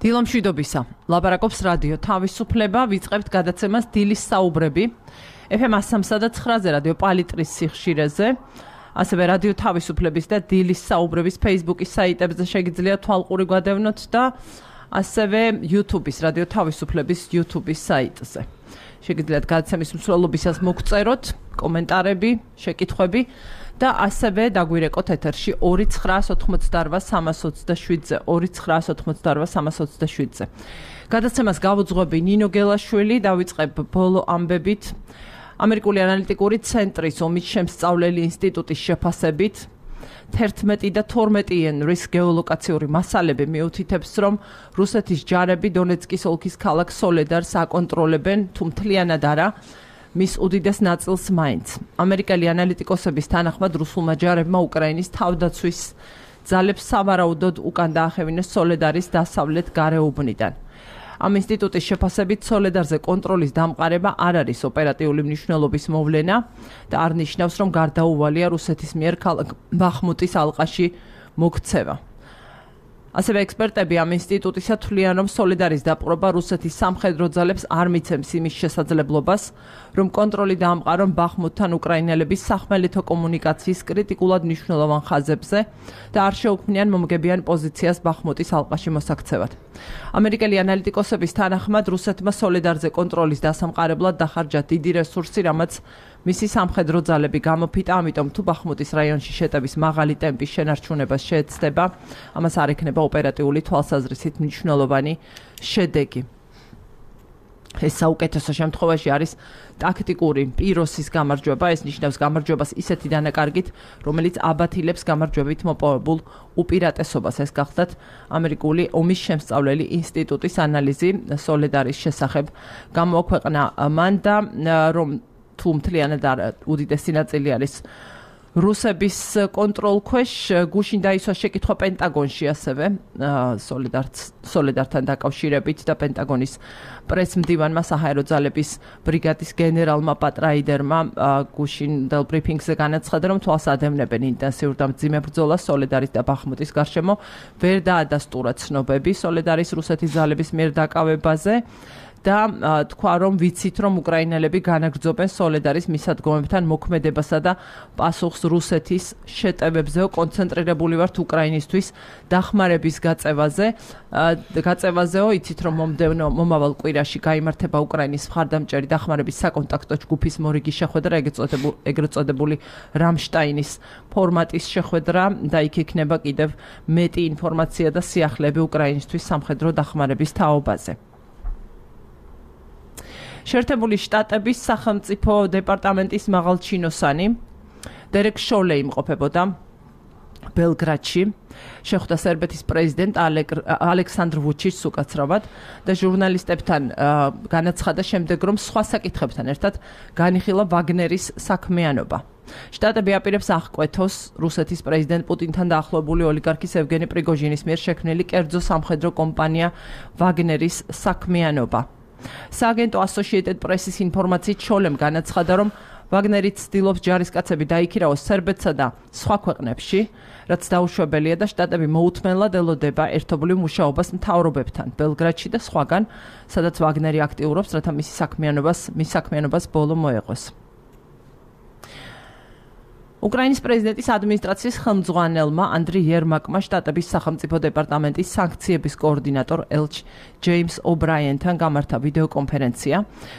დილომშვიდობისა. ლაპარაკობს რადიო თავისუფლება, ვიწყებთ გადაცემას დილის საუბრები. FM 103-ზე რადიო პალიტრის სიხშირეზე, ასევე რადიო თავისუფლების და დილის საუბრების Facebook-ის საიტებზე შეგიძლიათ თვალყური გვადევნოთ და ასევე YouTube-ის რადიო თავისუფლების YouTube-ის საიტზე. შეგიძლიათ გადაცემის მსვლელობისას მოგწეროთ კომენტარები, შეკითხვები და ასევე დაგვირეკოთ ეთერში 2988327-ზე 2988327-ზე. გადაცემას გავუძღვები ნინო გელაშვილი, დავიწყებ ბოლო ამბებით. ამერიკული ანალიტიკური ცენტრის ომის შემსწავლელი ინსტიტუტის შეფასებით 11 და 12-იან რისკ გეოლოკაციური მასალები მიუთითებს, რომ რუსეთის ჯარები დონეცკის ოლქის ქალაქ სოლედარს აკონტროლებენ, თუ მთლიანად არა, მის უდიდეს ნაწილს მაინც. ამერიკელი ანალიტიკოსების თანახმად რუსულმა ჯარებმა უკრაინის თავდაცვის ძალებს სავარაუდოდ უკან დაახევინეს სოლედარის დასავლეთ გარეუბნიდან. ამ ინსტიტუტის შეფასებით სოლედარზე კონტროლის დამყარება არ არის ოპერატიული მნიშვნელობის მოვლენა და არ ნიშნავს, რომ გარდაუვალია რუსეთის მიერ ქალაქ ბახმუტის ალყაში მოქცევა. ასევე ექსპერტები ამ ინსტიტუტისა თვლიან, რომ სოლედარის დაპყრობა რუსეთის სამხედრო ძალებს არ მიცემს იმის შესაძლებლობას, რომ კონტროლი დაამყარონ ბახმუტთან უკრაინელების სახმელეთო კომუნიკაციის კრიტიკულად მნიშვნელოვან ხაზებზე და არ შეუქმნიან მომგებიან პოზიციას ბახმუტის ალყაში მოსაქცევად. ამერიკელი ანალიტიკოსების თანახმად რუსეთმა სოლედარზე კონტროლის დასამყარებლად დახარჯა დიდი რესურსი, რამაც მისი სამხედრო ძალები გამოფიტა, ამიტომ თუ ბახმუტის რაიონში შეტევის მაღალი ტემპის შენარჩუნებას შეეცდება, ამას არ ექნება ოპერატიული თვალსაზრისით მნიშვნელოვანი შედეგი. ეს საუკეთესო შემთხვევაში არის ტაქტიკური პიროსის გამარჯვება, ეს ნიშნავს გამარჯვებას ისეთი დანაკარგით, რომელიც აბათილებს გამარჯვებით მოპოვებულ უპირატესობას. ეს გახლდათ ამერიკული ომის შემსწავლელი ინსტიტუტის ანალიზი სოლედარის შესახებ გამოაქვეყნა მან და რომ თუ მთლიანად უდიდესი ნაწილი არის რუსების კონტროლ ქვეშ, გუშინ დაისვა შეკითხვა პენტაგონში ასევე სოლედართან დაკავშირებით და პენტაგონის პრესმდივანმა საჰაერო ძალების ბრიგადის გენერალმა პატრაიდერმა გუშინდელ ბრიფინგზე განაცხადა, რომ თვალს ადევნებენ ინტენსიურ და მძიმე ბრძოლას სოლედარის და ბახმუტის გარშემო, ვერ დაადასტურა ცნობები სოლედარის რუსეთის ძალების მიერ დაკავებაზე და თქვა, რომ ვიცით, რომ უკრაინელები განაგრძობენ სოლედარის მისადგომებთან მოქმედებასა და პასუხს რუსეთის შეტევებზეო კონცენტრირებული ვართ უკრაინისთვის დახმარების გაწევაზეო, იცით, რომ მომავალ კვირაში გაიმართება უკრაინის მხარდამჭერი დახმარების საკონტაქტო ჯგუფის მორიგი შეხვედრა, ეგრეთ წოდებული რამშტაინის ფორმატის შეხვედრა და იქ იქნება კიდევ მეტი ინფორმაცია და სიახლეები უკრაინისთვის სამხედრო დახმარების თაობაზე. შეერთებული შტატების სახელმწიფო დეპარტამენტის მაღალჩინოსანი დერეკ შოლე იმყოფებოდა ბელგრადში, შეხვდა სერბეთის პრეზიდენტ ალექსანდრ ვუჩიჩს უკაცრავად და ჟურნალისტებთან განაცხადა შემდეგ, რომ სხვა საკითხებთან ერთად განიხილა ვაგნერის საქმიანობა. შტატები აპირებს აღკვეთოს რუსეთის პრეზიდენტ პუტინთან დაახლოებული ოლიგარქის ევგენი პრიგოჟინის მიერ შექმნილი კერძო სამხედრო კომპანია ვაგნერის საქმიანობა. სააგენტო Associated Press-ის ინფორმაციით შოლემ განაცხადა, რომ ვაგნერი ცდილობს ჯარისკაცები დაიქირავოს სერბეთსა და სხვა ქვეყნებში, რაც დაუშვებელია და შტატები მოუთმენლად ელოდება ერთობლივ მუშაობას მთავრობებთან ბელგრადში და სხვაგან, სადაც ვაგნერი აქტიურობს, რათა მის საქმიანობას ბოლო მოეღოს. უკრაინის პრეზიდენტის ადმინისტრაციის ხელმძღვანელმა ანდრი იერმაკმა შტატების სახელმწიფო დეპარტამენტის სანქციების კოორდინატორ ელჩ ჯეიმს ობრაიენთან გამართა ვიდეოკონფერენცია,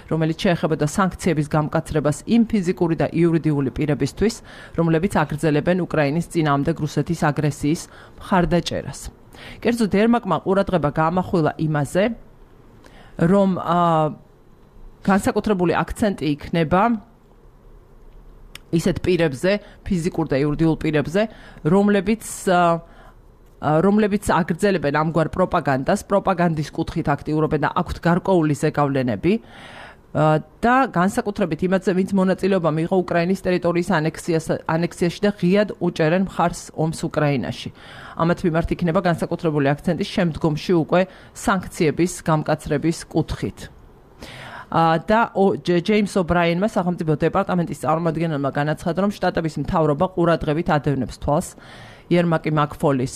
რომელიც შეეხებოდა სანქციების გამკაცრებას იმ ფიზიკური და იურიდიული პირებისთვის, რომლებიც აგრძელებენ უკრაინის წინააღმდეგ რუსეთის აგრესიის მხარდაჭერას. კერძოდ იერმაკმა ყურადღება გაამახვილა იმაზე, რომ განსაკუთრებული აქცენტი იქნება ისეთ პირებზე, ფიზიკურ და იურიდიულ პირებზე, რომლებიც აგრძელებენ ამგვარ პროპაგანდას, პროპაგანდის კუთხით აქტიურობენ და აქვთ გარკვეული ზეგავლენები და განსაკუთრებით იმაზე, ვინც მონაწილეობა მიიღო უკრაინის ტერიტორიის ანექსიაში და ღიად უჭერენ მხარს ომს უკრაინაში. ამათ მიმართ იქნება განსაკუთრებული აქცენტი შემდგომში უკვე სანქციების გამკაცრების კუთხით. და ჯეიმს ობრაიენმა სახელმწიფო დეპარტამენტის წარმომადგენელმა განაცხადა, რომ შტატების მთავრობა ყურადღებით ადევნებს თვალს იერმაკი მაკფოლის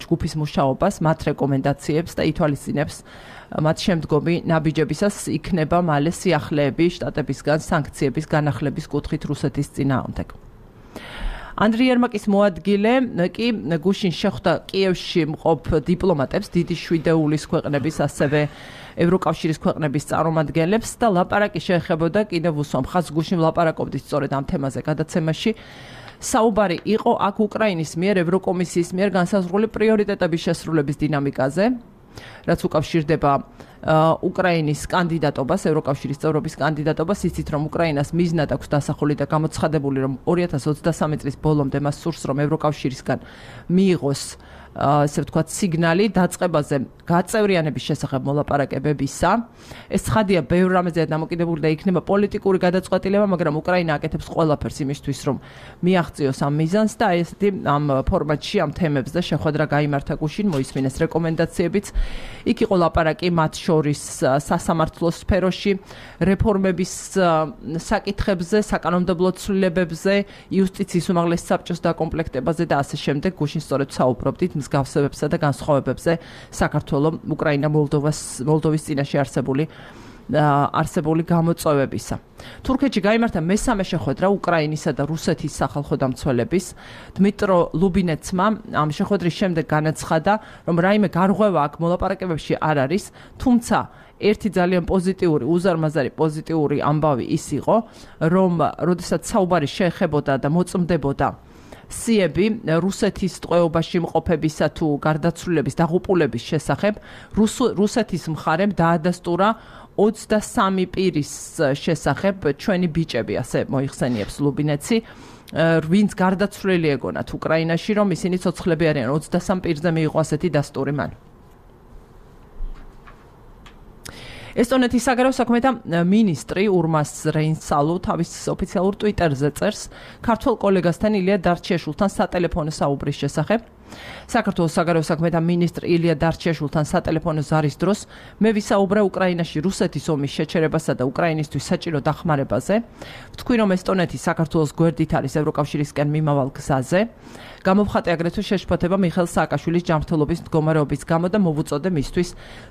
ჯგუფის მუშაობას, მათ რეკომენდაციებს და ითვალისწინებს მათ შემდგომი ნაბიჯებისას იქნება მალე სიახლეები შტატებისგან სანქციების განახლების კუთხით რუსეთის წინააღმდეგ. ანდრი იერმაკის მოადგილე კი გუშინ შეხვდა კიევში მყოფ დიპლომატებს, დიდი შვიდეულის ქვეყნების, ასევე ევროკავშირის ქვეყნების წარმომადგენლებს და ლაპარაკი შეეხებოდა კიდევ უსვამ ხაზს გუშინ ვლაპარაკობდით სწორედ ამ თემაზე გადაცემაში. საუბარი იყო აქ უკრაინის მიერ ევროკომისიის მიერ განსაზღვრული პრიორიტეტების შესრულების დინამიკაზე, რაც უკავშირდება უკრაინის კანდიდატობას, ევროკავშირის წევრობის კანდიდატობას, ისიც რომ უკრაინას მიზნად აქვს დასახული და გამოცხადებული, რომ 2023 წლის ბოლომდე მას სურს, რომ ევროკავშირისგან მიიღოს ასე ვთქვათ სიგნალი დაწყებაზე გაწევრიანების შესახებ მოლაპარაკებებისა. ეს ცხადია ბევრ რამეზეა დამოკიდებული და იქნება პოლიტიკური გადაწყვეტილება, მაგრამ უკრაინა აკეთებს ყველაფერს იმისთვის, რომ მიაღწიოს ამ მიზანს და ესეთი ამ ფორმატში ამ თემებზე შეხვედრა გაიმართა გუშინ, მოისმინეს რეკომენდაციებიც. იქ იყო ლაპარაკი მათ შორის სასამართლოს სფეროში, რეფორმების საკითხებზე, საკანონმდებლო ცვლილებებზე, იუსტიციის უმაღლეს საბჭოს დაკომპლექტებაზე და ასე შემდეგ. გუშინ სწორედ საუბრობდით მსგავსებებსა და განსხვავებებზე საქართველოს, უკრაინა, მოლდოვის წინაშე არსებული გამოწვევებისა. თურქეთში გაიმართა მესამე შეხვედრა უკრაინისა და რუსეთის სახალხო დამცველების. დმიტრო ლუბინეცმა ამ შეხვედრის შემდეგ განაცხადა, რომ რაიმე გარღვევა აქ მოლაპარაკებებში არ არის, თუმცა ერთი ძალიან პოზიტიური, უზარმაზარი პოზიტიური ამბავი ის იყო, რომ როდესაც საუბარი შეეხებოდა და მოწმდებოდა სიები რუსეთის ტყვეობაში მყოფებისა თუ გარდაცვლილების დაღუპულების შესახებ, რუსეთის მხარემ დაადასტურა 23 პირის შესახებ ჩვენი ბიჭები, ასე მოიხსენიებს ლუბინეცი, ვინც გარდაცვლილი ეგონათ უკრაინაში, რომ ისინი ცოცხლები არიან, 23 პირზე მიიღო ასეთი დასტური მან. ესტონეთის საგარეო საქმეთა მინისტრი ურმას რეინსალუ თავის ოფიციალურ ტვიტერზე წერს ქართველ კოლეგასთან ილია დარჩიაშვილთან სატელეფონო საუბრის შესახებ. საქართველოს საგარეო საქმეთა მინისტრ ილია დარჩიაშვილთან სატელეფონო ზარის დროს მე ვისაუბრე უკრაინაში რუსეთის ომის შეჩერებასა და უკრაინისთვის საჭირო დახმარებაზე. ვთქვი, რომ ესტონეთი საქართველოს გვერდით არის ევროკავშირისკენ მიმავალ გზაზე. გამოვხატე აგრეთვე შეშფოთება მიხეილ სააკაშვილის ჯანმრთელობის მდგომარეობის გამო და მოვუწოდე მისთვის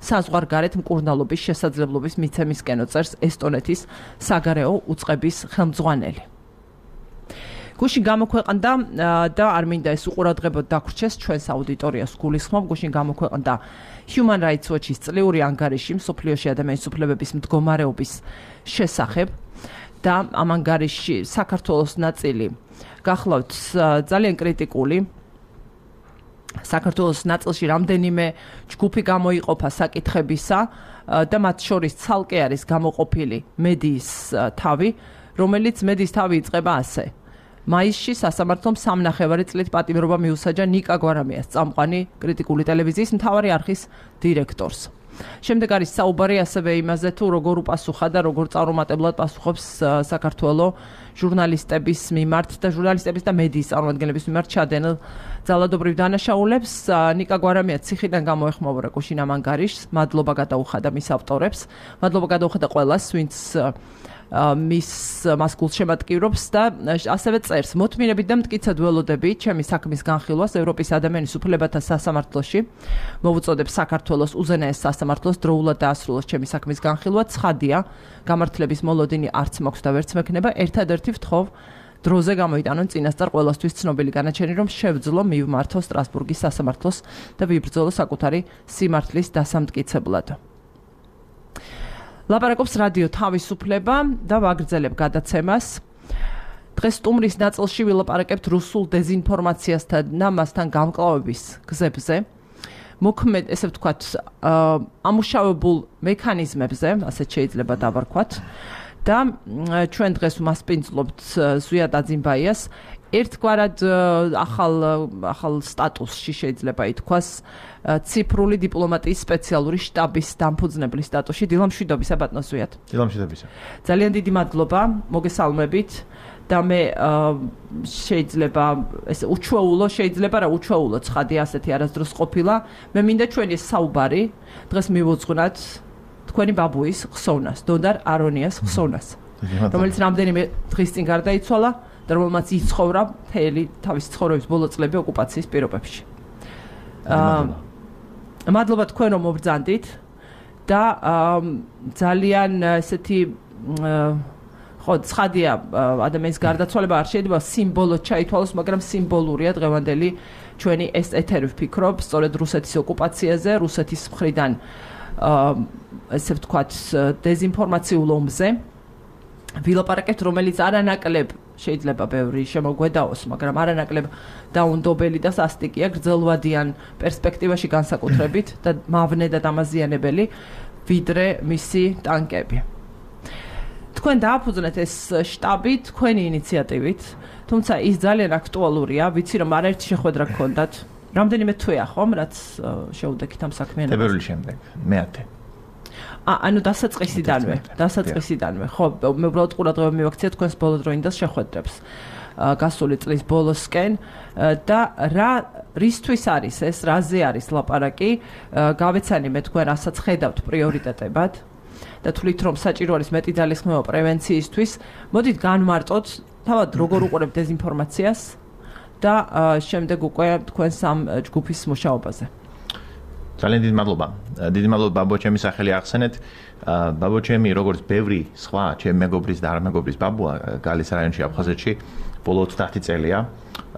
საზღვარგარეთ მკურნალობის შესაძლებლობის მიცემისკენო, წერს ესტონეთის საგარეო უწყების ხელმძღვანელი. გუშინ გამოქვეყნდა და არ მინდა ეს უყურადღებოდ დაგვრჩეს ჩვენს აუდიტორიას გულისხმობ, გუშინ გამოქვეყნდა Human Rights Watch-ის წლიური ანგარიში მსოფლიოში ადამიანის უფლებების მდგომარეობის შესახებ და ამ ანგარიში საქართველოს ნაწილი გახლავთ ძალიან კრიტიკული. საქართველოს ნაწილში რამდენიმე ჯგუფი გამოიყოფა საკითხებისა და მათ შორის ცალკე არის გამოყოფილი მედიის თავი, რომელიც მედიის თავი იწყება ასე. მაისში სასამართლომ 3.5 წლით პატიმრობა მიუსაჯა ნიკა გვარამიას, წამყვანი კრიტიკული ტელევიზიის მთავარი არხის დირექტორს. შემდეგ არის საუბარი ასევე იმაზე, თუ როგორ უპასუხა და როგორ წარუმატებლად პასუხობს საქართველოს ჟურნალისტების მიმართ და ჟურნალისტების და მედიის წარმომადგენლების მიმართ ჩადენილ ძალადობრივ დანაშაულებს. ნიკა გვარამია ციხიდან გამოეხმაურა გუშინ ამ ანგარიშს. მადლობა გადაუხადა მის ავტორებს. მადლობა გადაუხადა ყველას, ვინც მას გულშემატკივრობს და ასევე წერს მოთმინებით და მტკიცედ ველოდები ჩემი საქმის განხილვას ევროპის ადამიანის უფლებათა სასამართლოში. მოვუწოდებ საქართველოს უზენაეს სასამართლოს დროულად დაასრულოს ჩემი საქმის განხილვა. ცხადია, გამართლების მოლოდინი არც მაქვს და ვერც მექნება. ერთადერთი ვთხოვ დროზე გამოიტანონ წინასწარ ყველასთვის ცნობილი განაჩენი, რომ შევძლო მივმართო სტრასბურგის სასამართლოს და ვიბრძოლო საკუთარი სიმართლის დასამტკიცებლად. ლაპარაკობს რადიო თავისუფლება და ვაგრძელებ გადაცემას. დღეს სტუმრის ნაწილში ვილაპარაკებთ რუსულ დეზინფორმაციასთან და მასთან გამკლავების გზებზე. მოქმედ, ესე ვთქვათ, ამუშავებულ მექანიზმებზე, ასეთ შეიძლება დავარქვათ. და ჩვენ დღეს მასპინძლობთ ზვიად აძიმბაიას ერთგვარად ახალ სტატუსში შეიძლება ითქვას ციფრული დიპლომატიის სპეციალური შტაბის დამფუძნებლის სტატუსში. დილამშვიდობისა ბატონო ზვიად. დილამშვიდობისა. ძალიან დიდი მადლობა, მოგესალმებით და მე შეიძლება ეს უჩვეულო შეიძლება რა უჩვეულო ცხადია ასეთი არასდროს ყოფილა. მე მინდა ჩვენი საუბარი დღეს მივუძღვნათ თქვენი ბაბუის ხსოვნას, დონარ არონიას ხსოვნას, რომელიც რამდენიმე დღის წინ გარდაიცვალა და და რომელმაც იცხოვრა მთელი თავის ცხოვრების ბოლო წლები ოკუპაციის პირობებში. მადლობა თქვენ რომ მობრძანდით და ძალიან ესეთი ხო ცხადია ადამიანის გარდაცვალება არ შეიძლება სიმბოლოდ ჩაითვალოს, მაგრამ სიმბოლურია დღევანდელი ჩვენი ეს ეთერი ვფიქრობ, სწორედ რუსეთის ოკუპაციაზე, რუსეთის მხრიდან ესე ვთქვათ დეზინფორმაციულ ომზე. ვილაპარაკებთ, რომელიც არანაკლებ შეიძლება ბევრი შემოგვედაოს, მაგრამ არანაკლებ დაუნდობელი და სასტიკია გრძელვადიან პერსპექტივაში განსაკუთრებით და მავნე და დამაზიანებელი ვიდრე მისი ტანკები. თქვენ დააფუძნეთ ეს შტაბი თქვენი ინიციატივით, თუმცა ის ძალიან აქტუალურია, ვიცი რომ არაერთი შეხვედრა გქონდათ. რამდენიმე თვეა ხომ, რაც შეუდექით ამ საქმიანობას? თებერვლის შემდეგ, მე-10. ანუ დასაწყისიდანვე, ხო, მე უბრალოდ ყურადღება მივაქცია თქვენს ბოლოდროინდას შეხვედრებს გასული წლის ბოლოსკენ და რისთვის არის ეს, რაზე არის ლაპარაკი, გავეცანი მე თქვენ რასაც ხედავთ პრიორიტეტებად და თვლით რომ საჭირო არის მეტი ძალისხმევა პრევენციისთვის, მოდით განმარტოთ თავად როგორ უყურებთ დეზინფორმაციას და შემდეგ უკვე თქვენს ამ ჯგუფის მუშაობაზე. ძალიან დიდი მადლობა. დიდი მადლობა ბაბო ჩემი სახელი ახსენეთ. ბაბო ჩემი როგორც ბევრი სხვა ჩემი მეგობრის და არამეგობრის ბაბუა გალის რაიონში აფხაზეთში ბოლო 30 წელია.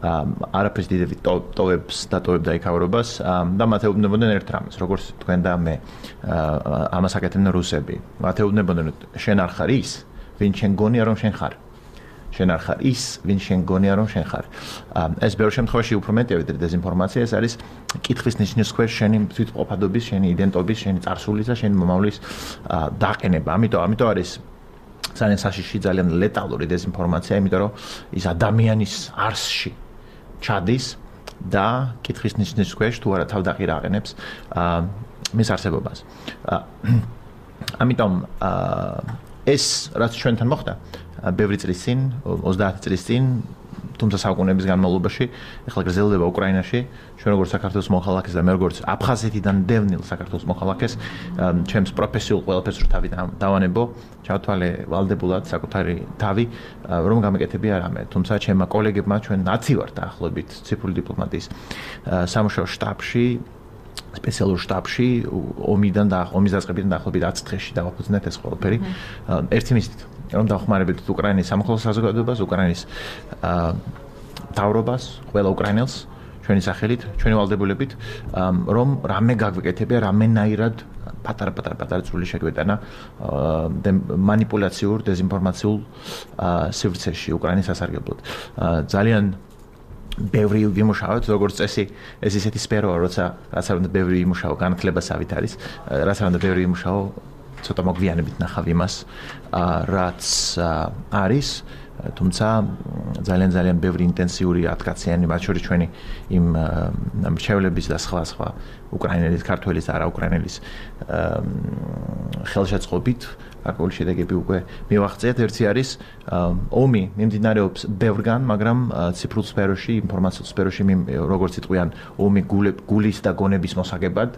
არაფერს დიდები ტოვებს და ტოვებდა იქავრობას და მათ ეუბნებოდნენ ერთ რამეს, როგორც თქვენ და მე ამას აკეთებდნენ რუსები. მათ ეუბნებოდნენ შენ არ ხარ ის, ვინ შენ გონია რომ შენ ხარ. შენ არ ხარ ის, ვინ შენ გონია რომ შენ ხარ. ეს ბევრ შემთხვევაში უფრო მეტია ვიდრე დეზინფორმაცია, ეს არის კითხვის ნიშნის ქვეშ შენი თვითმყოფადობის, შენი იდენტობის, შენი წარსულის და შენი მომავლის დაყენება. ამიტომ არის ძალიან საშიში, ძალიან ლეტალური დეზინფორმაცია, იმიტომ რომ ის ადამიანის არსში ჩადის და კითხვის ნიშნის ქვეშ თუ არა თავდაყირ აყენებს მის არსებობას. ამიტომ ეს რაც ჩვენთან მოხდა ბევრი წლის წინ, 30 წლის წინ, თუმცა საუკუნეების განმავლობაში, ახლა გრძელდება უკრაინაში, ჩვენ როგორც საქართველოს მოხალხეს და მე როგორც აფხაზეთიდან დევნილ საქართველოს მოხალხეს, ჩემს პროფესიულ ყველაფერს რო თავი დავანებო, ჩავთვალე ვალდებულად საკუთარი თავი, რომ გამეკეთებია რამე. თუმცა ჩემმა კოლეგებმა ჩვენ 10 ვართ დაახლოებით ციფრული დიპლომატიის სამუშაო შტაბში, სპეციალურ შტაბში, ომის დაწყებიდან დაახლოებით 10 დღეში დავაფუძნეთ ეს ყველაფერი. ერთი მიზნით რომ დავხმარებდით უკრაინის სამოქალაქო საზოგადოებას, უკრაინის მთავრობას, ყველა უკრაინელს ჩვენი სახელით, ჩვენი ვალდებულებით, რომ რამე გაგვეკეთებია, რამენაირად პატარა წვლილი შეგვეტანა მანიპულაციურ, დეზინფორმაციულ სივრცეში უკრაინის სასარგებლოდ. ძალიან ბევრი ვიმუშავოთ, როგორც წესი, ეს ისეთი სფეროა, როცა რაც არ უნდა ბევრი ვიმუშაო, განათლებასავით არის, რაც არ უნდა ბევრი ვიმუშაო, ცოტა მოგვიანებით ნახავ იმას, რაც არის, თუმცა ძალიან ბევრი ინტენსიური ათკაციანი, მათ შორის ჩვენი იმ მრჩევლების და სხვა უკრაინელის, ქართველის და არაუკრაინელის ხელშეწყობით აკული შედეგები უკვე მივაღწიეთ. ერთი არის ომი მიმდინარეობს ბევრგან, მაგრამ ციფრულ სფეროში, ინფორმაციულ სფეროში, როგორც იტყვიან, ომი გულის და გონების მოსაგებად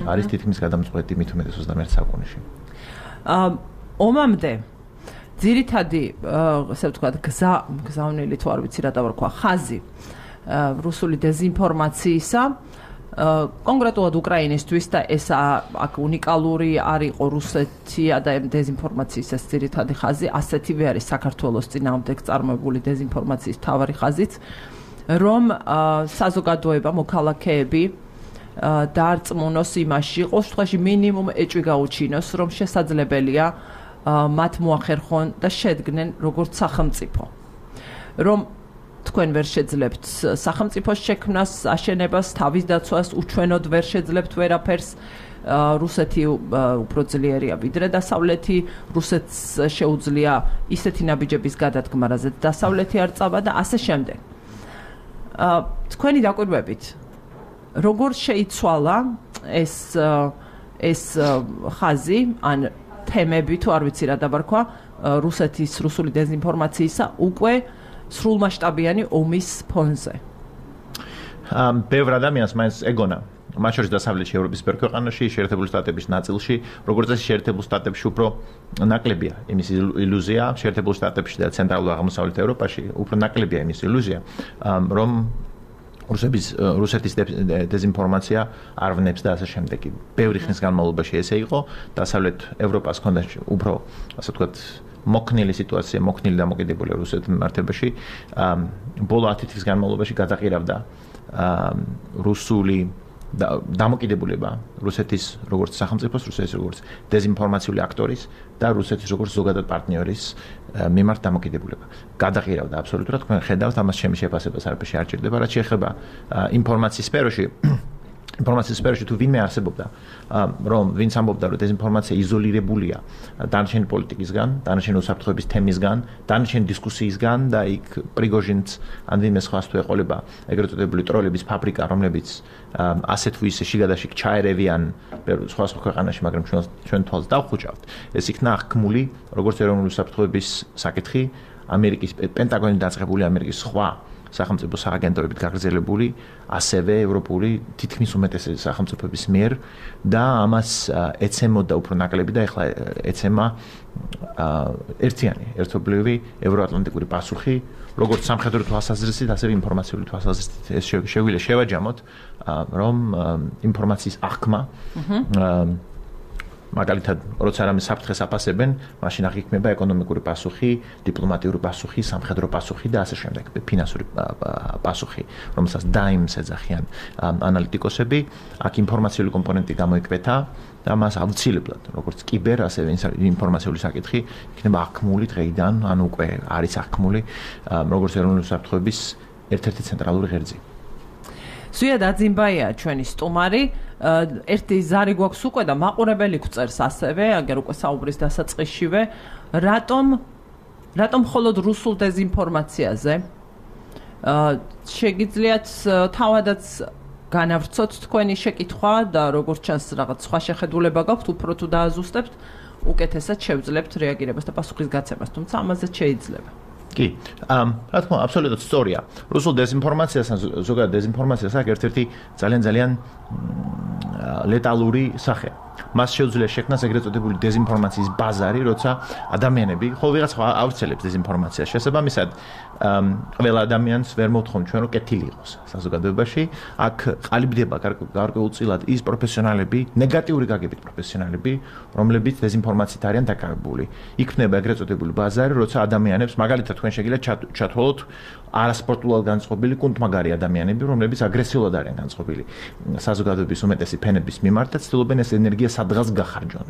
არის თითქმის გადამწყვეტი მით უმეტეს 21 საუკუნეში. ომამდე ძირითადი, ასე ვთქვათ, გზავნილი თუ არ ვიცი რა დავარქვა, ხაზი რუსული დეზინფორმაციისა კონკრეტულად უკრაინისთვის და ეს აქ უნიკალური არ იყო რუსეთია და დეზინფორმაციის ეს ძირითადი ხაზი, ასეთივე არის საქართველოს წინააღმდეგ წარმოებული დეზინფორმაციის მთავარი ხაზიც, რომ საზოგადოება, მოქალაქეები დაარწმუნოს იმაში, ყოველ შემთხვევაში მინიმუმ ეჭვი გაუჩინოს, რომ შესაძლებელია მათ მოახერხონ და შედგნენ როგორც სახელმწიფო. რომ თქვენ ვერ შეძლებთ სახელმწიფოს შექმნას, აშენებას, თავის დაცვას, უჩვენოდ ვერ შეძლებთ ვერაფერს. რუსეთი უფრო ძლიერია ვიდრე დასავლეთი, რუსეთს შეუძლია ისეთი ნაბიჯების გადადგმა, რაზეც დასავლეთი არ წავა და ასე შემდეგ. თქვენი დაკვირვებით, როგორ შეიცვალა ეს ხაზი, ან თემები თუ არ ვიცი რა დავარქვა, რუსეთის რუსული დეზინფორმაციისა უკვე სრულმასშტაბიანი ომის ფონზე. ბევრ ადამიანს მაინც ეგონა, მათ შორის დასავლეთში ევროპის ბევრ ქვეყანაში, შეერთებული შტატების ნაწილში, როგორც წესი შეერთებულ შტატებში უფრო ნაკლებია იმის ილუზია, შეერთებულ შტატებში და ცენტრალურ აღმოსავლეთ ევროპაში უფრო ნაკლებია იმის ილუზია, რომ რუსეთის დეზინფორმაცია არ ვნებს და ასე შემდეგ. ბევრი ხნის განმავლობაში ესე იყო, დასავლეთ ევროპას ჰქონდა უფრო, ასე ვთქვათ, მოქნილი სიტუაცია, მოქნილი დამოკიდებული რუსეთის მიმართებაში, ბოლო 10 თვის განმავლობაში გადაყირავდა რუსული დამოკიდებულება რუსეთის როგორც სახელმწიფოს, რუსეთის როგორც დეზინფორმაციული აქტორის და რუსეთის როგორც ზოგადად პარტნიორის მიმართ დამოკიდებულება. გადაყირავდა აბსოლუტურად, თქვენ ხედავთ, ამას ჩემი შეფასებას არაფერში არ ჭირდება, რაც შეეხება ინფორმაციის სფეროში თუ ვინმე არსებობდა, რომ ვინც ამბობდა, რომ დეზინფორმაცია იზოლირებულია დანარჩენი პოლიტიკისგან, დანარჩენი უსაფრთხოების თემისგან, დანარჩენი დისკუსიისგან და იქ პრიგოჟინს ან ვინმე სხვას თუ ეყოლება ეგრეთ წოდებული ტროლების ფაბრიკა, რომლებიც ასე თუ ისე შიგადაშიგ ჩაერევიან სხვა ქვეყანაში, მაგრამ ჩვენ თვალს დავხუჭავთ. ეს იქნა აღქმული როგორც ეროვნული უსაფრთხოების საკითხი, ამერიკის პენტაგონი დაწყებული ამერიკის სხვა სახელმწიფო სააგენტოებით გაგრძელებული, ასევე ევროპული თითქმის უმეტესი სახელმწიფოების მიერ და ამას ეცემოდა უფრო ნაკლები და ეხლა ეცემა ერთიანი, ერთობლივი ევროატლანტიკური პასუხი, როგორც სამხედრო თვალსაზრისით, ასევე ინფორმაციული თვალსაზრისით. ეს შეგვიძლია შევაჯამოთ, რომ ინფორმაციის აღქმა მაგალითად, როცა რამე საფრთხეს აფასებენ, მაშინ აღიქმება ეკონომიკური პასუხი, დიპლომატიური პასუხი, სამხედრო პასუხი და ასე შემდეგ, ფინანსური პასუხი, რომელსაც დაიმს ეძახიან ანალიტიკოსები. აქ ინფორმაციული კომპონენტი გამოიკვეთა და მას აუცილებლად, როგორც კიბერ, ასევე ინფორმაციული საკითხი იქნება აღქმული დღეიდან, ანუ უკვე არის აღქმული, როგორც ეროვნული უსაფრთხოების ერთ-ერთი ცენტრალური ღერძი. ზვია დაძინბაია ჩვენი სტუმარი. ერთი ზარი გვაქვს უკვე და მაყურებელი გვწერს ასევე, აგერ უკვე საუბრის დასაწყისშივე, რატომ მხოლოდ რუსულ დეზინფორმაციაზე? შეგიძლიათ თავადაც განავრცოთ თქვენი შეკითხვა და როგორც ჩანს რაღაც სხვა შეხედულება გაქვთ, უფრო თუ დააზუსტებთ, უკეთესად შევძლებთ რეაგირებას და პასუხის გაცემას, თუმცა ამაზეც შეიძლება. კი, რა თქმა უნდა, აბსოლუტურად სწორია. რუსულ დეზინფორმაციას, ზოგადად დეზინფორმაციას აქვს ერთ-ერთი ძალიან ლეტალური სახე. მას შეუძლია შექმნას ეგრეთ წოდებული დეზინფორმაციის ბაზარი, როცა ადამიანები, ხოლმე ვიღაცა ავრცელებს დეზინფორმაციას. შესაბამისად, ყველა ადამიანს ვერ მოვთხოვთ ჩვენ რომ კეთილი იყოს საზოგადოებაში. აქ ყალიბდება გარკვეულწილად ის პროფესიონალები, ნეგატიური გაგებით პროფესიონალები, რომლებიც დეზინფორმაციით არიან დაკავებული. იქმნება ეგრეთ წოდებული ბაზარი, როცა ადამიანებს, მაგალითად, თქვენ შეგიძლიათ ჩათვალოთ არასპორტულად განწყობილი კუნთმაგარი ადამიანები, რომლებიც აგრესიულად არიან განწყობილი საზოგადოების უმეტესი ფენების მიმართ და ცდილობენ ეს ენერგია სადღაც გახარჯონ.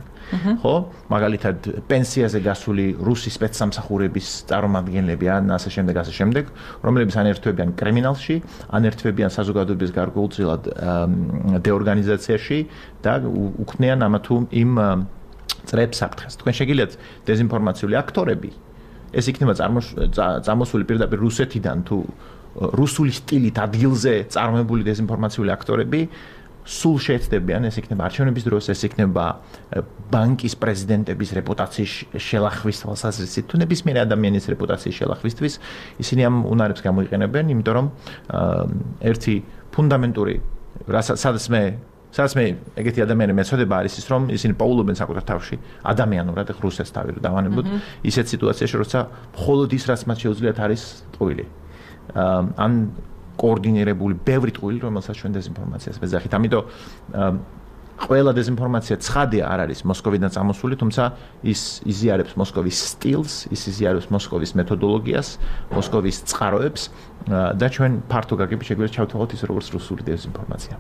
ხო? მაგალითად, პენსიაზე გასული რუსი სპეცსამსახურების წარმომადგენლები ან ასე შემდეგ, რომლებიც ან ერთვებიან კრიმინალში, ან ერთვებიან საზოგადოების გარკვეულწილად დეორგანიზაციაში და უქმნიან ამა თუ იმ წრეებს საფრთხეს. თქვენ შეგიძლიათ დეზინფორმაციული აქტორები ეს იქნება წამოსული პირდაპირ რუსეთიდან თუ რუსული სტილით ადგილზე წარმოებული დეზინფორმაციული აქტორები სულ შეეცდებიან, ეს იქნება არჩევნების დროს, ეს იქნება ბანკის პრეზიდენტების რეპუტაციის შელახვის თვალსაზრისით, თუ ნებისმიერი ადამიანის რეპუტაციის შელახვისთვის, ისინი ამ უნარებს გამოიყენებენ, იმიტომ რომ ერთი ფუნდამენტური სადაც მე ეგეთი ადამიანი მეცოდება არის ის, რომ ისინი პაულობენ საკუთარ თავში ადამიანურად რუსეთს თავი რომ დავანებოთ, ისეთ სიტუაციაში, როცა მხოლოდ ის, რაც მათ შეუძლიათ არის ტყუილი. ან კოორდინირებული ბევრი ტყუილი, რომელსაც ჩვენ დეზინფორმაციას ვეძახით. ამიტომ ყველა დეზინფორმაცია ცხადია არ არის მოსკოვიდან წამოსული, თუმცა ის იზიარებს მოსკოვის სტილს, ის იზიარებს მოსკოვის მეთოდოლოგიას, მოსკოვის წყაროებს და ჩვენ ფართო გაგებით შეგვიძლია ჩავთვალოთ ის როგორც რუსული დეზინფორმაცია.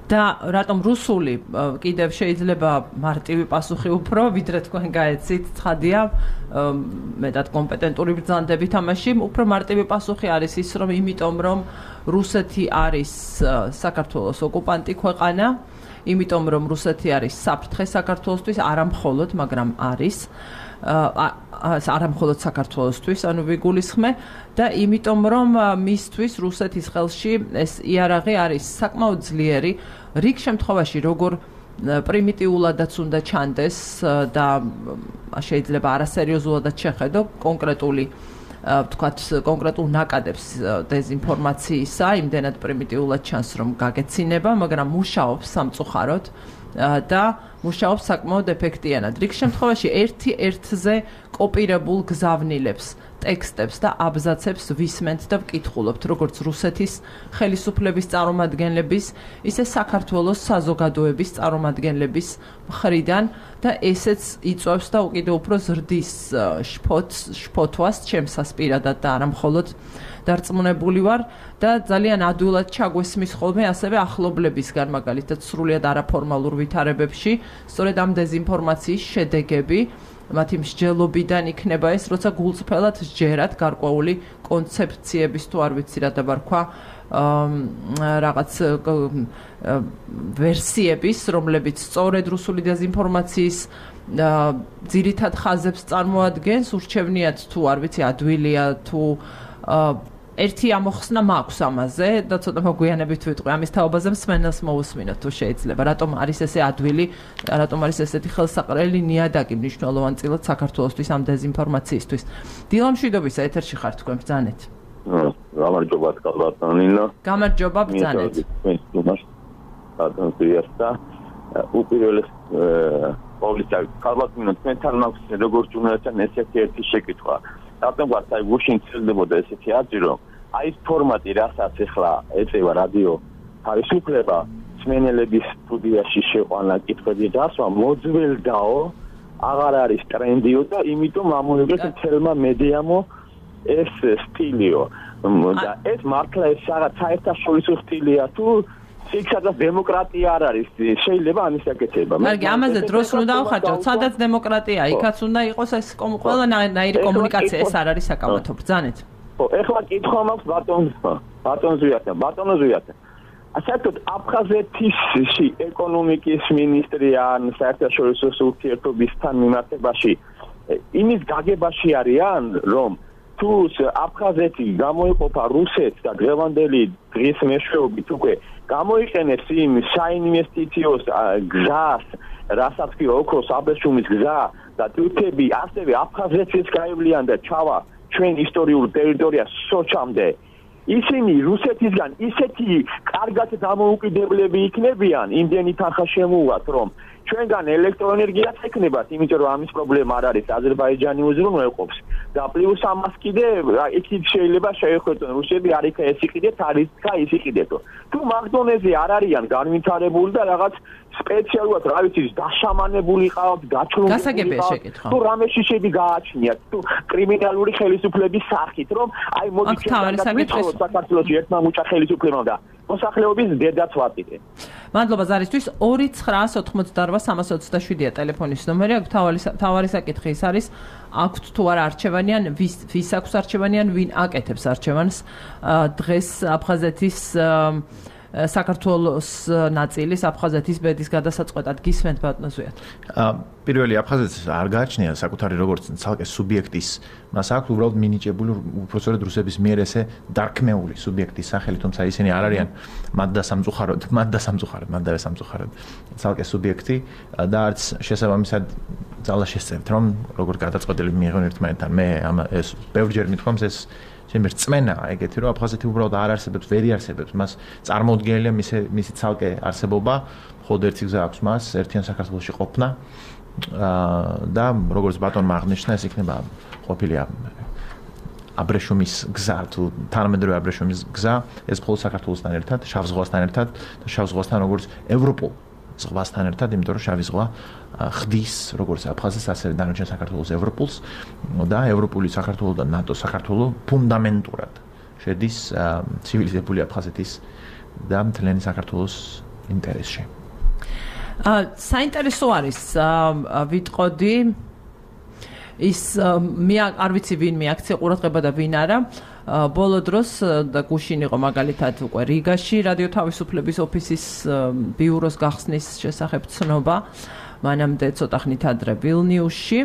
და რატომ რუსული კიდევ შეიძლება მარტივი პასუხი უფრო, ვიდრე თქვენ გაეცით, ცხადია, მეტად კომპეტენტური ბრძანდებით ამაში, უფრო მარტივი პასუხი არის ის, რომ იმიტომ რომ რუსეთი არის საქართველოს ოკუპანტი ქვეყანა, იმიტომ რომ რუსეთი არის საფრთხე საქართველოსთვის, არა მხოლოდ, მაგრამ არის არა მხოლოდ საქართველოსთვის, ანუ ვიგულისხმე და იმიტომ რომ მისთვის რუსეთის ხელში ეს იარაღი არის საკმაოდ ძლიერი, რიგ შემთხვევაში როგორ პრიმიტიულადაც უნდა ჩანდეს და შეიძლება არასერიოზულადაც შეხედო კონკრეტული ვთქვათ კონკრეტულ ნაკადებს დეზინფორმაციისა, იმდენად პრიმიტიულად ჩანს რომ გაგეცინება, მაგრამ მუშაობს სამწუხაროდ და მუშაობს საკმაოდ ეფექტიანად. რიგ შემთხვევაში ერთი ერთზე კოპირებულ გზავნილებს, ტექსტებს და აბზაცებს ვისმენთ და ვკითხულობთ, როგორც რუსეთის ხელისუფლების წარმომადგენლების, ისე საქართველოს საზოგადოების წარმომადგენლების მხრიდან და ესეც იწვევს და უკიდევ უფრო ზრდის შფოთვას ჩემსას პირადად და არა მხოლოდ დარწმუნებული ვარ და ძალიან ადვილად ჩაგვესმის ხოლმე ასევე ახლობლებისგან, მაგალითად სრულიად არაფორმალურ ვითარებებში, სწორედ ამ დეზინფორმაციის შედეგები მათი მსჯელობიდან იქნება ეს, როცა გულწრფელად სჯერათ გარკვეული კონცეფციების თუ არ ვიცი რა დაბარქვა რაღაც ვერსიების, რომლებიც სწორედ რუსული დეზინფორმაციის ძირითად ხაზებს წარმოადგენს, ურჩევნიათ თუ არ ვიცი ადვილია თუ ერთი ამოხსნა მაქვს ამაზე და ცოტა მოგვიანებით ვიტყვი ამის თაობაზე მსმენელს მოусმინოთ თუ შეიძლება რატომ არის ესე ადვილი რატომ არის ესეთი ხელსაყრელი ნიადაგი მნიშვნელოვანწილად საქართველოსთვის ამ დეზინფორმაციისთვის დილა მშვიდობისა ეთერში ხართ თქვენ ბრძანეთ გამარჯობა კალბატონინა გამარჯობა ბრძანეთ უპირველეს ყოვლისა კალბატონინა თქვენთან მაქვს როგორც ჯურნალისტთან ესეთი ერთი შეკითხვა რატომ ვართ აი გუშინ ცელდებოდა ესეთი აზრი რომ აი ეს ფორმატი რასაც ახლა ეწევა რადიო თავისუფლება მსმენელების სტუდიაში შეყვანა კითხვები დასვა მოძველდაო აღარ არის ტრენდიო და იმიტომ ამოიღეს თელმა მედიამო ეს სტილიო და ეს მართლა ეს რაღაც საერთაშორისო სტილია თუ იქაც დემოკრატია არ არის შეიძლება ამის აკეთება მაგრამ ამაზე დროს უნდა ავხარჯოთ სადაც დემოკრატია იქაც უნდა იყოს ეს ყველანაირი კომუნიკაცია ეს არ არის საკამათო ბრძანეთ ხო ეხლა კითხვა მაქვს ბატონოზვიათან საერთოდ აფხაზეთის ეკონომიკის მინისტრი ან საერთაშორისო ურთიერთობისთან მიმართებაში იმის გაგებაში არიან რომ თუ აფხაზეთი გამოიყოფა რუსეთს და დღევანდელი დღის მეშვეობით უკვე გამოიყენებს იმ საინვესტიციო გზას, რასაც კი ოქროს აბრეშუმის გზა და თურქები ასევე აფხაზეთს გაივლიან და ჩავა ჩვენ ისტორიულ ტერიტორიას სოჩამდე. ისინი რუსეთისგან ისეთი კარგად დამოუკიდებლები იქნებიან, იმდენი თანხა შემოუვათ, რომ ჩვენგან ელექტროენერგიაც ეკნებათ, იმიტომ რომ ამის პრობლემა არ არის, აზერბაიჯანი უზრუნველყოფს. და პლუს ამას კიდე იქით შეიძლება შეეხვეწონ რუსები არ იქა ეს იყიდეთ, არ იქა ის იყიდეთო. თუ მაგდონეზე არ არიან განვითარებული და რაღაც სპეციალურად რა ვიცი დაშამანებული ყავთ, გაჩრუნებული ყავთ, თუ რამეში შედი გააჩნიათ, თუ კრიმინალური ხელისუფლების სახით, რომ აი მოდი ჩვენ საქართველოში ერთმა მუჭა ხელისუფლებამ და მოსახლეობის დედაც ვატირე. მადლობა ზარისთვის 2988327-ია ტელეფონის ნომერი, აქ თავარი საკითხი ის არის, აქვთ თუ არა არჩევანი ან ვის აქვს არჩევანი ან ვინ აკეთებს არჩევანს დღეს აფხაზეთის საქართველოს ნაწილის აფხაზეთის ბედის გადასაწყვეტად გისმენთ ბატონოზვიათ. პირველი აფხაზეთს არ გააჩნია საკუთარი როგორც ცალკე სუბიექტის, მას აქვს უბრალოდ მინიჭებული უბრალოდ რუსების მიერ ესე დარქმეული სუბიექტის სახელი, თუმცა ისინი არ არიან მადდა სამწუხაროდ ცალკე სუბიექტი და არც შესაბამისად ძალა შესწევთ, რომ როგორ გადაწყვეტილები მიიღონ ერთმანეთთან. მე ეს ბევრჯერ მithქვამს ეს შემერ წმენაა ეგეთი რომ აფხაზეთი უბრალოდ არ არსებობს, ვერ იარსებებს, მას წარმოუდგენელია მისი ცალკე არსებობა, მხოლოდ ერთი გზა აქვს მას, ერთიან საქართველოში ყოფნა და როგორც ბატონმა აღნიშნა, ეს იქნება ყოფილია აბრეშუმის გზა, თუ თანამედროვე აბრეშუმის გზა, ეს მხოლოდ საქართველოსთან ერთად, შავ ზღვასთან ერთად და შავ ზღვასთან როგორც ევროპულ ზღვასთან ერთად, იმიტომ რომ შავი ზღვა ხდის როგორც აფხაზეთს, ასევე დანარჩენ საქართველოს ევროპულს და ევროპული საქართველო და ნატო საქართველო ფუნდამენტურად შედის ცივილიზებული აფხაზეთის და მთლიანი საქართველოს ინტერესში. საინტერესო არის ვიტყოდი ის მე არ ვიცი ვინ მიაქცია ყურადღება და ვინ არა ბოლო დროს და გუშინ იყო მაგალითად უკვე რიგაში რადიო თავისუფლების ოფისის ბიუროს გახსნის შესახებ ცნობა მანამდე ცოტა ხნით ადრე ვილნიუსში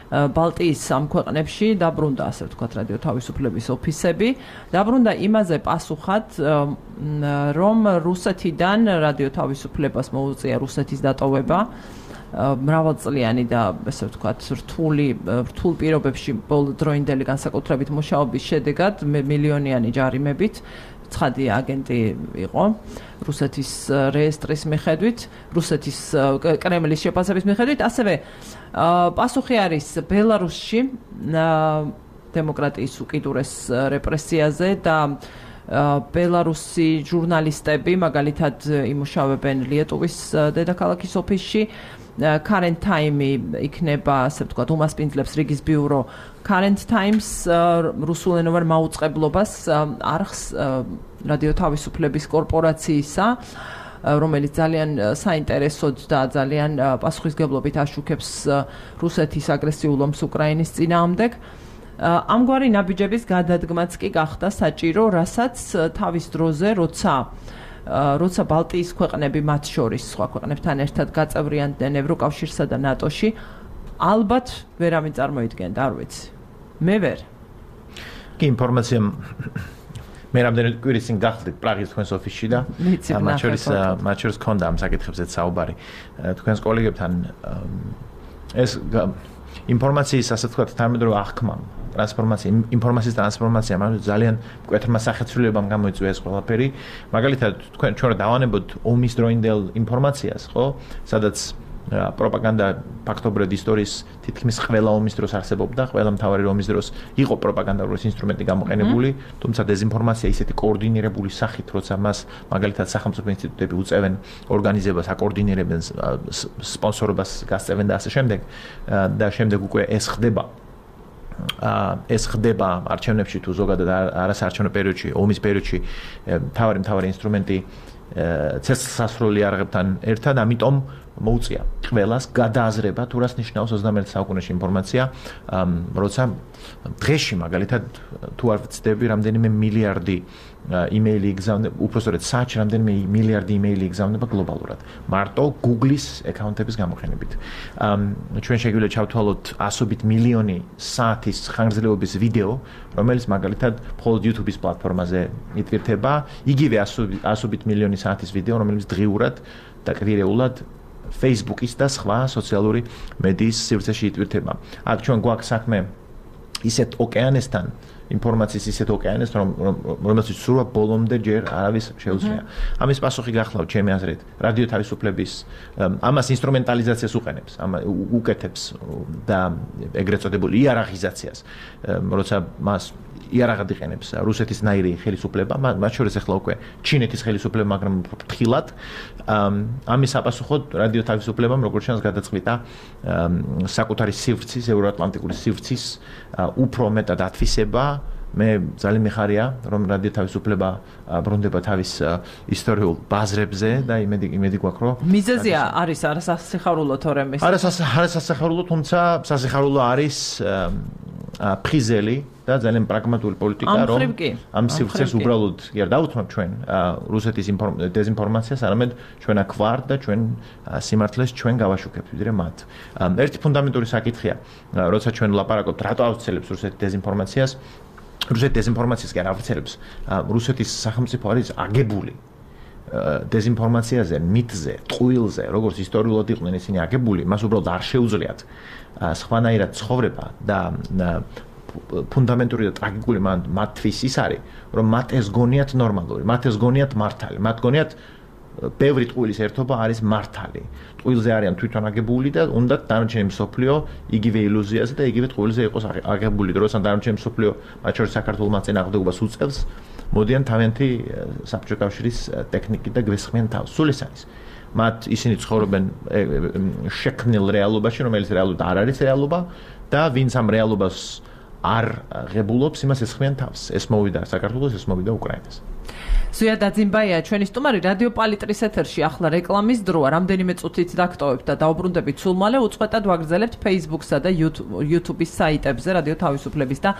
ბალტიის სამ ქვეყნებში დაბრუნდა ასე ვთქვათ რადიო თავისუფლების ოფისები დაბრუნდა იმაზე პასუხად რომ რუსეთიდან რადიო თავისუფლებას მოუწია რუსეთის დატოვება მრავალწლიანი და ესე ვთქვათ რთულ პირობებში ბოლოდროინდელი განსაკუთრებით მუშაობის შედეგად მილიონიანი ჯარიმებით ცხადი აგენტი იყო რუსეთის რეესტრის მიხედვით, რუსეთის კრემლის შეფასების მიხედვით, ასევე პასუხი არის ბელარუსში დემოკრატიის უკიდურეს რეპრესიაზე და ბელარუსი ჟურნალისტები მაგალითად იმუშავებენ ლიეტუვის დედაქალაქის ოფისში Current Time იქნება, ასე ვთქვათ, უმასპინძლებს რიგის ბიურო Current Times რუსულენოვან მაუწყებლობას არხს რადიო თავისუფლების კორპორაციისა, რომელიც ძალიან საინტერესოდ და ძალიან პასუხისგებლობით აშუქებს რუსეთის აგრესიულ ომს უკრაინის წინააღმდეგ. ამგვარი ნაბიჯების გადადგმაც კი გახდა საჭირო, რასაც თავის დროზე, როცა ბალტიის ქვეყნები მათ შორის სხვა ქვეყნებთან ერთად გაწევრიანდნენ ევროკავშირსა და ნატოში, ალბათ ვერავინ წარმოიდგენდა, არ ვიცი. მე ვერ. კი ინფორმაცია მე რამდენი კვირის წინ გახდით პრაღის თქვენს ოფისში და მათ შორის ქონდა ამ საკითხებზეც საუბარი. თქვენს კოლეგებთან ეს ინფორმაციის ასე ვთქვათ თანამედროვე აღქმა ინფორმაციის ტრანსფორმაცია მაგრამ ძალიან მკვეთრმა სახეცვლილებამ გამოიწვია ეს ყველაფერი. მაგალითად თქვენ ჩვენ დავანებოთ ომის დროინდელ ინფორმაციას, ხო? სადაც პროპაგანდა ფაქტობრივად ისტორიის თითქმის ყველა ომის დროს არსებობდა, ყველა მთავარი ომის დროს იყო პროპაგანდალური ინსტრუმენტი გამოყენებული, თუმცა დეზინფორმაცია ისეთი კოორდინირებული სახით, როცა მას მაგალითად სახელმწიფო ინსტიტუტები უწევენ ორგანიზებას, აკოორდინირებენ სპონსორობას, გასწევენ და ასე შემდეგ და შემდეგ უკვე ეს ხდება არჩევნებში თუ ზოგადად არასაარჩევნო პერიოდში, ომის პერიოდში მთავარი ინსტრუმენტი ცეცხლსასროლი არღებთან ერთად, ამიტომ მოუწია ყველას გადააზრება თუ რას ნიშნავს 21 საუკუნეში ინფორმაცია, როცა დღეში მაგალითად თუ არ ვცდები რამდენიმე მილიარდი იმეილი იგზავნება, უпростоრეთ საათში რამდენიმე მილიარდი იმეილი იგზავნება გლობალურად. მარტო Google-ის აკაუნტების გამოყენებით. ჩვენ შეგვიძლია ჩავთვალოთ ასობით მილიონი საათის ხანგრძლივობის ვიდეო, რომელიც მაგალითად მხოლოდ YouTube-ის პლატფორმაზე იტვირთება, იგივე ასობით მილიონი საათის ვიდეო, რომელიც დღიურად და კვირეულად Facebook-ის და სხვა სოციალური მედიის სივრცეში იტვირთება. აქ ჩვენ გვაქვს საქმე ისეთ ოკეანესთან, ინფორმაციის ისეთ ოკეანეს, რომელსაც სულ ბოლომდე ჯერ არავის შეუძლია. ამის პასუხი გახლავთ ჩემი აზრით, რადიო თავისუფლების ამას ინსტრუმენტალიზაციას უყენებს, უკეთებს და ეგრეთ წოდებული იარაღიზაციას, როცა მას იარაღად იყენებს რუსეთის ნაირი ხელისუფლება, მათ შორის ახლა უკვე ჩინეთის ხელისუფლება, მაგრამ ფრთხილად. ამის საპასუხოდ რადიო თავისუფლებამ როგორც ჩანს გადაწყვიტა საკუთარი სივრცის, ევროატლანტიკური სივრცის უფრო მეტად ათვისება. მე ძალიან მიხარია, რომ რადიო თავისუფლება ბრუნდება თავის ისტორიულ ბაზრებზე და იმედი გვაქვს, რომ მიზეზია არის არასასიხარულო თორემ ეს. არასასიხარულო, თუმცა სასიხარულო არის ფხიზელი და ძალიან პრაგმატული პოლიტიკა, რომ ამ სივრცეს უბრალოდ კი არ დაუთმობ ჩვენ რუსეთის დეზინფორმაციას, არამედ ჩვენ აქ ვართ და ჩვენ სიმართლეს ჩვენ გავაშუქებთ ვიდრე მათ. ერთი ფუნდამენტური საკითხია, როცა ჩვენ ვლაპარაკობთ, რატო ავრცელებს რუსეთი დეზინფორმაციას, რუსეთი დეზინფორმაციას კი არ ავრცელებს, რუსეთის სახელმწიფო არის აგებული დეზინფორმაციაზე, მითზე, ტყუილზე, როგორც ისტორიულად იყვნენ ისინი აგებული, მას უბრალოდ არ შეუძლიათ სხვანაირად ცხოვრება და ფუნდამენტური და ტრაგიკული მათთვის ის არის, რომ მათ ეს გონიათ ნორმალური, მათ ეს გონიათ მართალი, მათ გონიათ ბევრი ტყუილის ერთობა არის მართალი. ტყუილზე არიან თვითონ აგებული და უნდათ დანარჩენი მსოფლიო იგივე ილუზიაზე და იგივე ტყუილზე იყოს აგებული, როცა დანარჩენი მსოფლიო მათ შორის საქართველოს წინააღმდეგობას უწევს, მოდიან თავიანთი საბჭოთა კავშირის ტექნიკით და გვესხმიან თავს. სულ ეს არის. მათ ისინი ცხოვრობენ შექმნილ რეალობაში, რომელიც რეალურად არ არის რეალობა და ვინც ამ რეალობას არ ღებულობს, იმას ესხმიან თავს. ეს მოვიდა საქართველოს, ეს მოვიდა უკრაინას. ზუია დაძინბაია, ჩვენი სტუმარი რადიო პალიტრის ეთერში, ახლა რეკლამის დროა, რამდენიმე წუთით დაგტოვებთ და დაუბრუნდებით სულ მალე, უწყვეტად ვაგრძელებთ Facebook-სა და YouTube-ის საიტებზე რადიო თავისუფლების და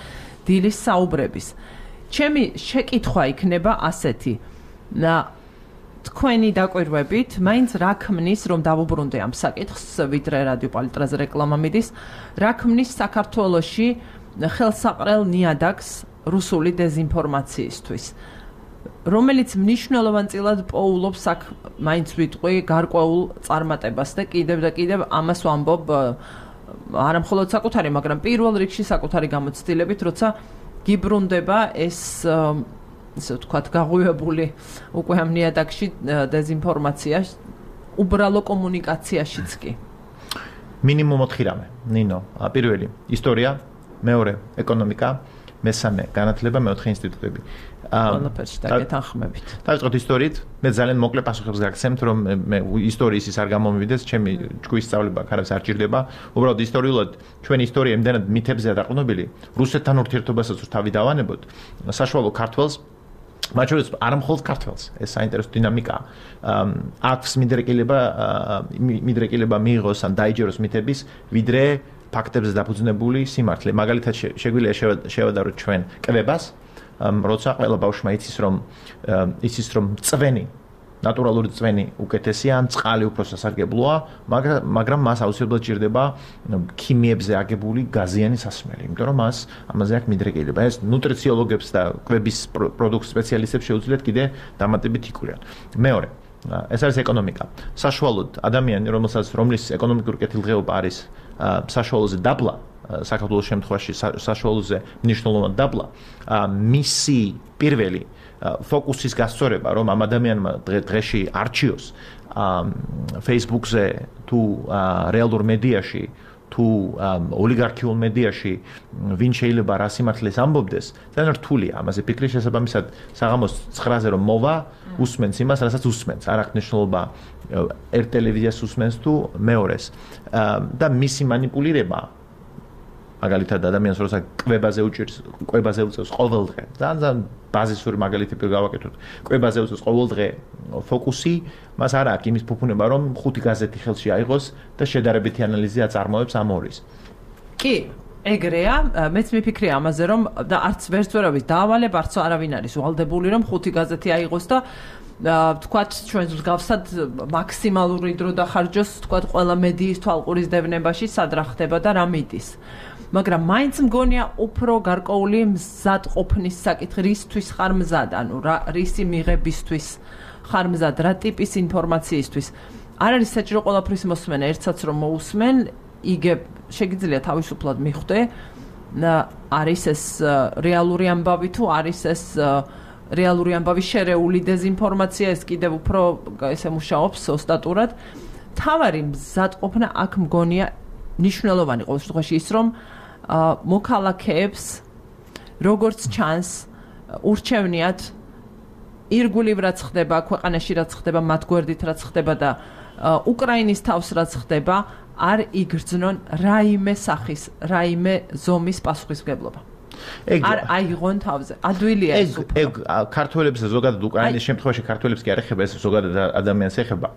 დილის საუბრების. ჩემი შეკითხვა იქნება ასეთი. თქვენი დაკვირვებით, მაინც რა ქმნის, რომ დავუბრუნდე ამ საკითხს, ვიდრე რადიო პალიტრაზე რეკლამა მიდის, რა ქმნის საქართველოში ხელსაყრელ ნიადაგს რუსული დეზინფორმაციისთვის. რომელიც მნიშვნელოვანწილად პოულობს აქ მაინც ვიტყვი გარკვეულ წარმატებას და კიდევ ამას ვამბობ არა მხოლოდ საკუთარი, მაგრამ პირველ რიგში საკუთარი გამოცდილებით, როცა გიბრუნდება ეს ისე ვთქვათ, გაღვივებული უკვე ამ ნიადაგში დეზინფორმაცია უბრალო კომუნიკაციაშიც კი. მინიმუმ 4 რამე, ნინო, პირველი ისტორია, მეორე ეკონომიკა, მესამე განათლება, მეოთხე ინსტიტუტები. ყველაფერში დაგეთანხმებით. დავიწყოთ ისტორიით. მე ძალიან მოკლე პასუხებს გაგცემთ, რომ მე ისტორიის ის არ გამომივიდეს, ჩემი ჯგუფის სწავლება ხარებს არ ჭირდება. უბრალოდ ისტორიულად ჩვენი ისტორია იმდანად მითებზეა დაყრდნობილი, რუსეთთან ურთიერთობასაც თავი დავანებოთ, საშუალო ქართველს მათ შორის არ მხოლოდ ქართველს, ეს საინტერესო დინამიკაა. აქვს მიდრეკილება მიიღოს ან დაიჯეროს მითების, ვიდრე ფაქტებზე დაფუძნებული სიმართლე. მაგალითად შეგვიძლია შევადაროთ ჩვენ კვებას, როცა ყველა ბავშვმა იცის რომ წვენი, ნატურალური წვენი უკეთესია, ან წყალი უფრო სასარგებლოა, მაგრამ მას აუცილებლად ჭირდება ქიმიებზე აგებული გაზიანი სასმელი, იმიტომ რომ ამაზე აქვს მიდრეკილება. ეს ნუტრიციოლოგებს და კვების პროდუქტ სპეციალისტებს შეუძლიათ კიდე დამატებით იკვირან. მეორე, ეს არის ეკონომიკა. საშუალოდ ადამიანი, რომლის ეკონომიკური კეთილდღეობა არის საშუალოზე დაბლა, საქართველოს შემთხვევაში საშუალოზე მნიშვნელოვანი დაბლა, მისი პირველი ფოკუსის გასწორება, რომ ამ ადამიანმა დღეში არჩიოს Facebook-ზე თუ რეალურ მედიაში თუ ოლიგარქიულ მედიაში ვინ შეიძლება რა სიმართლეს ამბობდეს, ძალიან რთულია ამაზე ფიქრი. შესაბამისად, საღამოს 9-ზე რომ მოვა, უსმენს იმას, რასაც უსმენს. არ აქვს მნიშვნელობა ერთ ტელევიზიას უსმენს თუ მეორეს. და მისი манипуლირება მაგალითად ადამიანს როცა კვებაზე უწევს ყოველდღე. ძალიან ბაზისური მაგალითი გავაკეთოთ. კვებაზე უწევს ყოველდღე ფოკუსი, მას არ აქვს იმის ფუფუნება, რომ 5 გაზეთი ხელში აიღოს და შედარებითი ანალიზი აწარმოებს ამ ორის. კი, ეგრეა, მეც მიფიქრია ამაზე, რომ და არც ვერცვერავის დაავალებ, არც არავინ არის ვალდებული, რომ 5 გაზეთი აიღოს და თქვათ ჩვენს მსგავსად მაქსიმალური დრო დახარჯოს, თქვათ ყველა მედიის თვალყურის დევნებაში სად რა ხდება და რა მიდის. მაგრამ მაინც მგონია უფრო გარკვეული მზადყოფნის საკითხი, რისთვის ხარ მზად, ანუ რისი მიღებისთვის ხარ მზად, რა ტიპის ინფორმაციისთვის. არ არის საჭირო ყველაფრის მოსმენა, ერთსაც რომ მოусმენ, იგებ შეგიძლია თავისუფლად მიხვდე, არის ეს რეალური ამბავი თუ არის ეს რეალური ამბავი შერეული დეზინფორმაცია, ეს კიდევ უფრო ესე მუშაობს ოსტატურად. თავარი მზადყოფნა აქ მგონია მნიშვნელოვანი ყოველ შემთხვევაში ის, რომ მოქალაქეებს როგორც ჩანს ურჩევნიათ ირგვლივ რაც ხდება, ქვეყანაში რაც ხდება, მათ გვერდით რაც ხდება და უკრაინის თავს რაც ხდება, არ იგრძნონ რაიმე სახის, რაიმე ზომის პასუხისმგებლობა. არ აიღონ თავზე. ადვილია ეს უფრო. ეგ ქართველებს ზოგადად უკრაინის შემთხვევაში ქართველებს კი არ ეხება, ეს ზოგადად ადამიანს ეხება.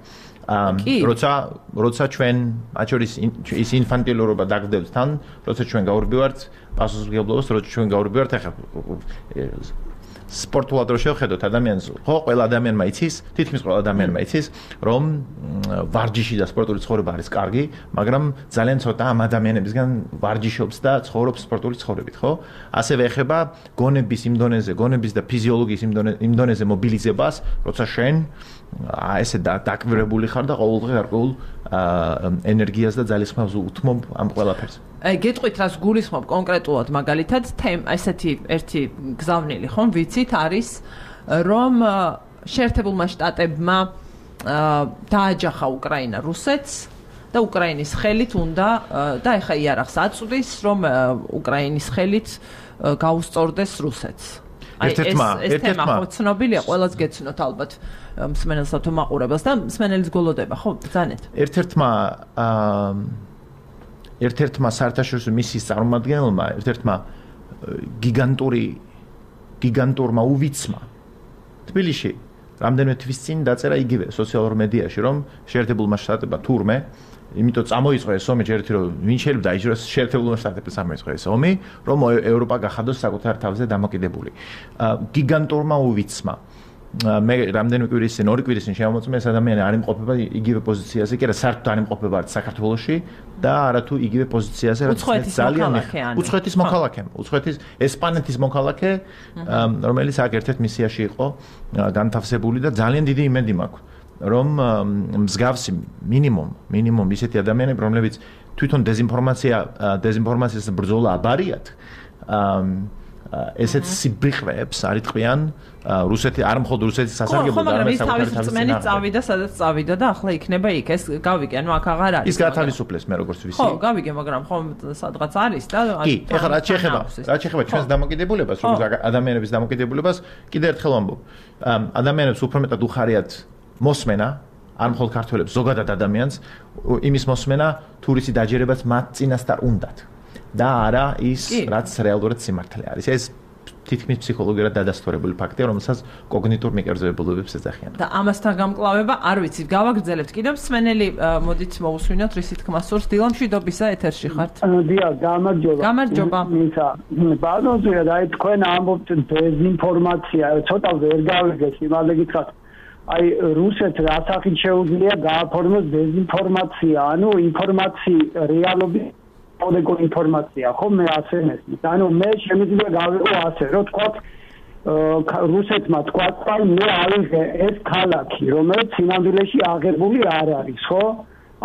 როცა ჩვენ მათ შორის ის ინფანტილურობა დაგდევთ თან, როცა ჩვენ გავურბივართ პასუხისმგებლობას, როცა ჩვენ გავურბივართ ახლა სპორტულად რო შევხედოთ ადამიანს, ხო, ყველა ადამიანმა იცის, თითქმის ყველა ადამიანმა იცის, რომ ვარჯიში და სპორტული ცხოვრება არის კარგი, მაგრამ ძალიან ცოტა ამ ადამიანებისგან ვარჯიშობს და ცხოვრობს სპორტული ცხოვრებით, ხო? ასევე ეხება გონების იმ დონეზე, გონების და ფიზიოლოგიის იმ დონეზე მობილიზებას, როცა შენ ესე დაკვირვებული ხარ და ყოველდღე გარკვეულ ენერგიას და ძალისხმევას უთმობ ამ ყველაფერს. გეტყვით რას გულისხმობ კონკრეტულად მაგალითად ესეთი ერთი გზავნილი ხომ ვიცით არის რომ შეერთებულმა შტატებმა დააჯახა უკრაინა რუსეთს და უკრაინის ხელით უნდა და ეხა იარაღს აწვდის რომ უკრაინის ხელით გაუსწორდეს რუსეთს. ეს თემა ხო ცნობილია, ყველას გეცნოთ ალბათ მსმენელსა თუ მაყურებელს და მსმენელის გოლოდება, ხო, ბრძანეთ. ერთ-ერთმა საერთაშორისო მისიის წარმომადგენელმა, ერთ-ერთმა გიგანტურმა უვიცმა თბილისში რამდენიმე თვის წინ დაწერა იგივე სოციალურ მედიაში, რომ შეერთებულმა შტატებმა თურმე, იმიტომ წამოიწყო ეს ომი, ჯერეთი რომ ვინ შეიძლება დაიჯეროს შეერთებულმა შტატებმა წამოიწყო ეს ომი, რომ ევროპა გახადოს საკუთარ თავზე დამოკიდებული. გიგანტურმა უვიცმა მე რამდენიმე კვირის წინ, 2 კვირის წინ შემოწმე ეს ადამიანი არ იმყოფება იგივე პოზიციაზე, კი არა, საერთოდ არ იმყოფება საქართველოში და არათუ იგივე პოზიციაზე, რაც ძალიან უცხოეთის მოქალაქე, უცხოეთის ესპანეთის მოქალაქე, რომელიც აქ ერთ-ერთ მისიაში იყო განთავსებული და ძალიან დიდი იმედი მაქვს, რომ მსგავსი მინიმუმ ისეთი ადამიანები, რომლებიც თვითონ დეზინფორმაციას ბრძოლა აბარიათ, ესეც სიბიხვეებს არიტყვიან რუსეთი არ მხოლოდ რუსეთის სასარგებლოდ არამედ საკუთარი თავის წმენით წავიდა სადაც წავიდა და ახლა იქნება იქ ეს გავიგე ანუ აქ აღარ არის ის გათავისუფლეს მე როგორც ვიცი ხო გავიგე მაგრამ ხო სადღაც არის და კი ეხლა რაც შეეხება ჩვენს დამოკიდებულებას როგორც ადამიანების დამოკიდებულებას კიდევ ერთხელ ვამბობ ადამიანებს უფრო მეტად უხარიათ მოსმენა არ მხოლოდ ქართველებს ზოგადად ადამიანს იმის მოსმენა თურისი დაჯერებაც მათ წინასწარ უნდათ და არა ის რაც რეალურად სიმართლე არის ეს თითქმის ფსიქოლოგიურად დადასტურებული ფაქტია რომელსაც კოგნიტურ მიკერძებებულობებს ეძახიან და ამასთან გამკლავება არ ვიცი გავაგრძელებთ კიდევ მსმენელი მოდით მოვუსვინოთ რისი თქმა სურს დილამშვიდობისა ეთერში ხართ დიახ გამარჯობა მისა ბაზონზია და თქვენ ამბობთ დეზინფორმაცია ცოტა ვერ გავიგეს იმალე გითხრათ აი რუსეთს რასახით შეუძლია გააფორმოს დეზინფორმაცია ანუ ინფორმაცია რეალობის ოდეკო ინფორმაცია ხო მე ასე მესმის ანუ მე შემიძლია გავიყო ასე რომ თქვა რუსეთმა თქვა აი მე ავიღე ეს ქალაქი რომელიც სინამდვილეში აღებული არ არის ხო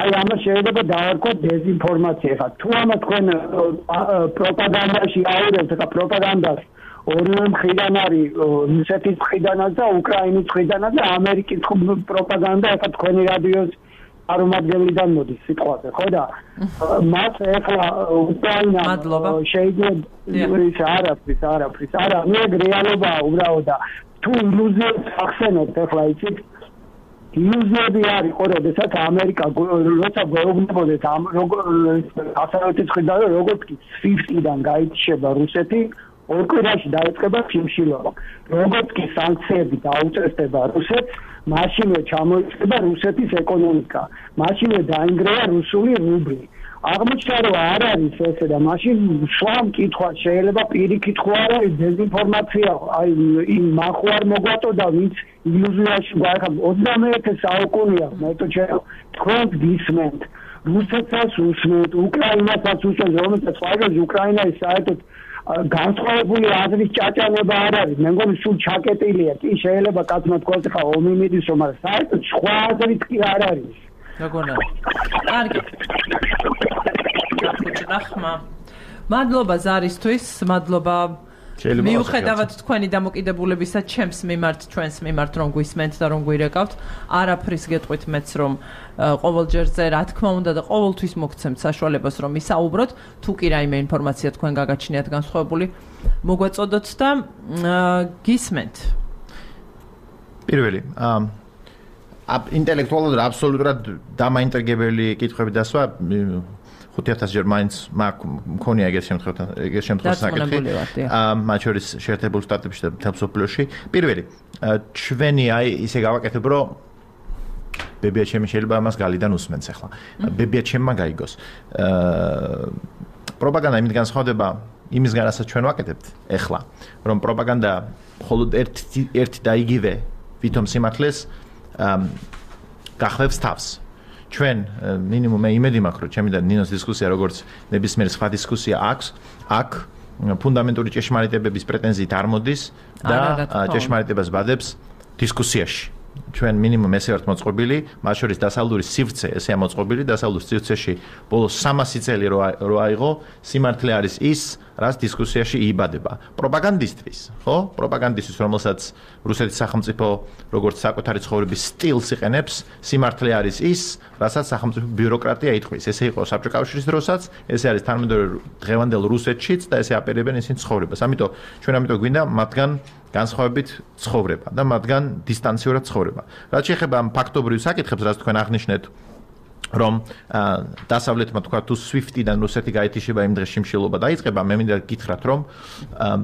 აი ამას შეიძლება დავარქვათ დეზინფორმაცია ხა თუ ამა თქვენ პროპაგანდაში აურევთ და პროპაგანდას ორივე მხრიდან არის რუსეთის მხრიდანაც და უკრაინის მხრიდანაც და ამერიკის პროპაგანდა ახლა თქვენი რადიოს არომადგენლიდან მოდის სიტყვაზე ხო და მას ახლა უკრაინა შეიძლება არაფრის არა მე რეალობაა უბრალოდ და თუ ილუზიებს ახსენებთ ახლა იცით ილუზიები არის ხო როდესაც ამერიკა როცა გვეუბნებოდეთ ასაერთის მხრიდან როგორც კი SWIFT-დან გაიჩება რუსეთი ორ კვირაში დაიწყება შიმშილობა როგორც კი სანქციები დაუწესდება რუსეთს მაშინვე ჩამოიწყება რუსეთის ეკონომიკა მაშინვე დაინგრევა რუსული რუბლი აღმოჩნდა რომ არ არის ესე და მაშინ სხვა მკითხვა შეიძლება პირიქით ხო არ არის დეზინფორმაცია აი იმ მახვარ მოგვაწოდა ვინც ილუზიაში გაიხარ 21 საუკუნეა მეტოჩერო თქვენ გისმენთ რუსეთსაც უსმენთ უკრაინასაც უსმენთ რომელსაც ფაიზი უკრაინა ის საერთოდ განსხვავებული აზრის ჭაჭანება არ არის მე მგონი სულ ჩაკეტილია კი შეიძლება კაცმა თქვას ხა ომი მიდისო მაგრამ საერთოდ სხვა აზრით კი არ არის როგორია კარგი გახმა მადლობა ზარისთვის მადლობა მიუხედავად თქვენი დამოკიდებულებისა ჩემს მიმართ ჩვენს მიმართ რომ გვისმენთ და რომ გვირეკავთ არაფრის გეტყვით მეც რომ ყოველჯერზე რა თქმა უნდა და ყოველთვის მოგცემთ საშუალებას რომ ისაუბროთ თუ კი რაიმე ინფორმაცია თქვენ გაგაჩნიათ განსხვავებული მოგვეწოდოთ და გისმენთ პირველი ინტელექტუალურად აბსოლუტურად დამაინტერგებელი კითხვები დასვა 5000 ჯერ მაინც მქონია ეგეთ შემთხვევაში საკითხი მათ შორის შეერთებულ შტატებში და მთელ მსოფლიოში პირველი ჩვენი აი ისე გავაკეთებ რომ ბებია ჩემი შეიძლება ამას გალიდან უსმენს ახლა ბებია ჩემმა გაიგოს პროპაგანდა იმით განსხვავდება იმისგან რასაც ჩვენ ვაკეთებთ ახლა რომ პროპაგანდა მხოლოდ ერთი და იგივე ვითომ სიმართლეს გახმევს თავს ჩვენ მინიმუმ მე იმედი მაქვს რომ ჩემი და ნინოს დისკუსია როგორც ნებისმიერი სხვა დისკუსია აქვს აქ ფუნდამენტური ჭეშმარიტებების პრეტენზიით არ მოდის და ჭეშმარიტებას ბადებს დისკუსიაში ჩვენ მინიმუმ ესე ვართ მოწყობილი მათ შორის დასავლური სივრცე ესეა მოწყობილი დასავლურ სივრცეში ბოლოს 300 წელი რო აიღო სიმართლე არის ის რაც დისკუსიაში იიბადება პროპაგანდისტვის ხო პროპაგანდისტვის რომელსაც რუსეთის სახელმწიფო როგორც საკუთარი ცხოვრების სტილს იყენებს სიმართლე არის ის რასაც სახელმწიფო ბიუროკრატია ითხოვს ესე იყო საბჭოთა კავშირის დროსაც ესე არის თანამედროვე დღევანდელ რუსეთშიც და ესე აპირებენ ისინი ცხოვრებას ამიტომ ჩვენ ამიტომ გვინდა მათგან განსხვავებით ცხოვრება და მათგან დისტანციურად ცხოვრება რაც შეეხება ამ ფაქტობრივ საკითხებს რაც თქვენ აღნიშნეთ რომ დასავლეთმა თქვა თუ SWIFT-დან რუსეთი გაითიშება იმ დღეს შიმშილობა დაიწყება მე მინდა გითხრათ რომ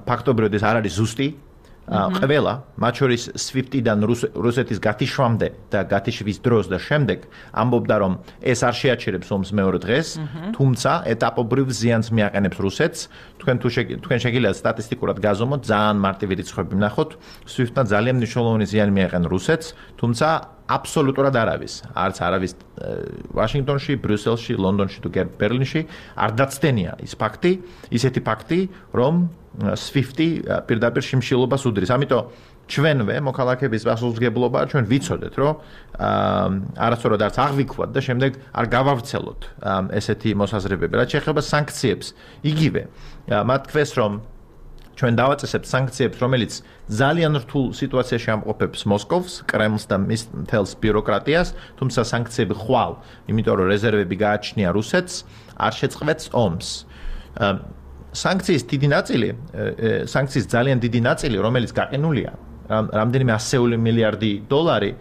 ფაქტობრივად ეს არ არის ზუსტი ყველა, მათ შორის SWIFT-დან რუსეთის გათიშვამდე და გათიშვის დროს და შემდეგ ამბობდა, რომ ეს არ შეაჩერებს ომს მეორე დღეს, თუმცა ეტაპობრივ ზიანს მიაყენებს რუსეთს. თქვენ შეგიძლიათ სტატისტიკურად გაზომოთ, ძალიან მარტივი რიცხვები ვნახოთ, SWIFT-მა ძალიან მნიშვნელოვანი ზიანი მიაყენა რუსეთს, თუმცა აბსოლუტურად არავის, არც არავის ვაშინგტონში, ბრიუსელში, ლონდონში თუ ბერლინში არ დაცდენია ის ფაქტი, ისეთი ფაქტი, რომ SWIFT-ი პირდაპირ შიმშილობას უდრის. ამიტომ ჩვენვე მოქალაქეების პასუხისმგებლობა ჩვენ ვიცოდეთ, რომ არასწორად არც აღვიქვათ და შემდეგ არ გავავრცელოთ ესეთი მოსაზრებები. რაც შეეხება სანქციებს, იგივე მათ თქვეს, რომ ჩვენ დავაწესებთ სანქციებს, რომელიც ძალიან რთულ სიტუაციაში ამყოფებს მოსკოვს, კრემლს და მის მთელს ბიუროკრატიას, თუმცა სანქციები ხვალ, იმიტომ რომ რეზერვები გააჩნია რუსეთს, არ შეწყვეტს ომს. სანქციის ძალიან დიდი ნაწილი, რომელიც გაყენულია, რამდენიმე 100 მილიარდი დოლარი,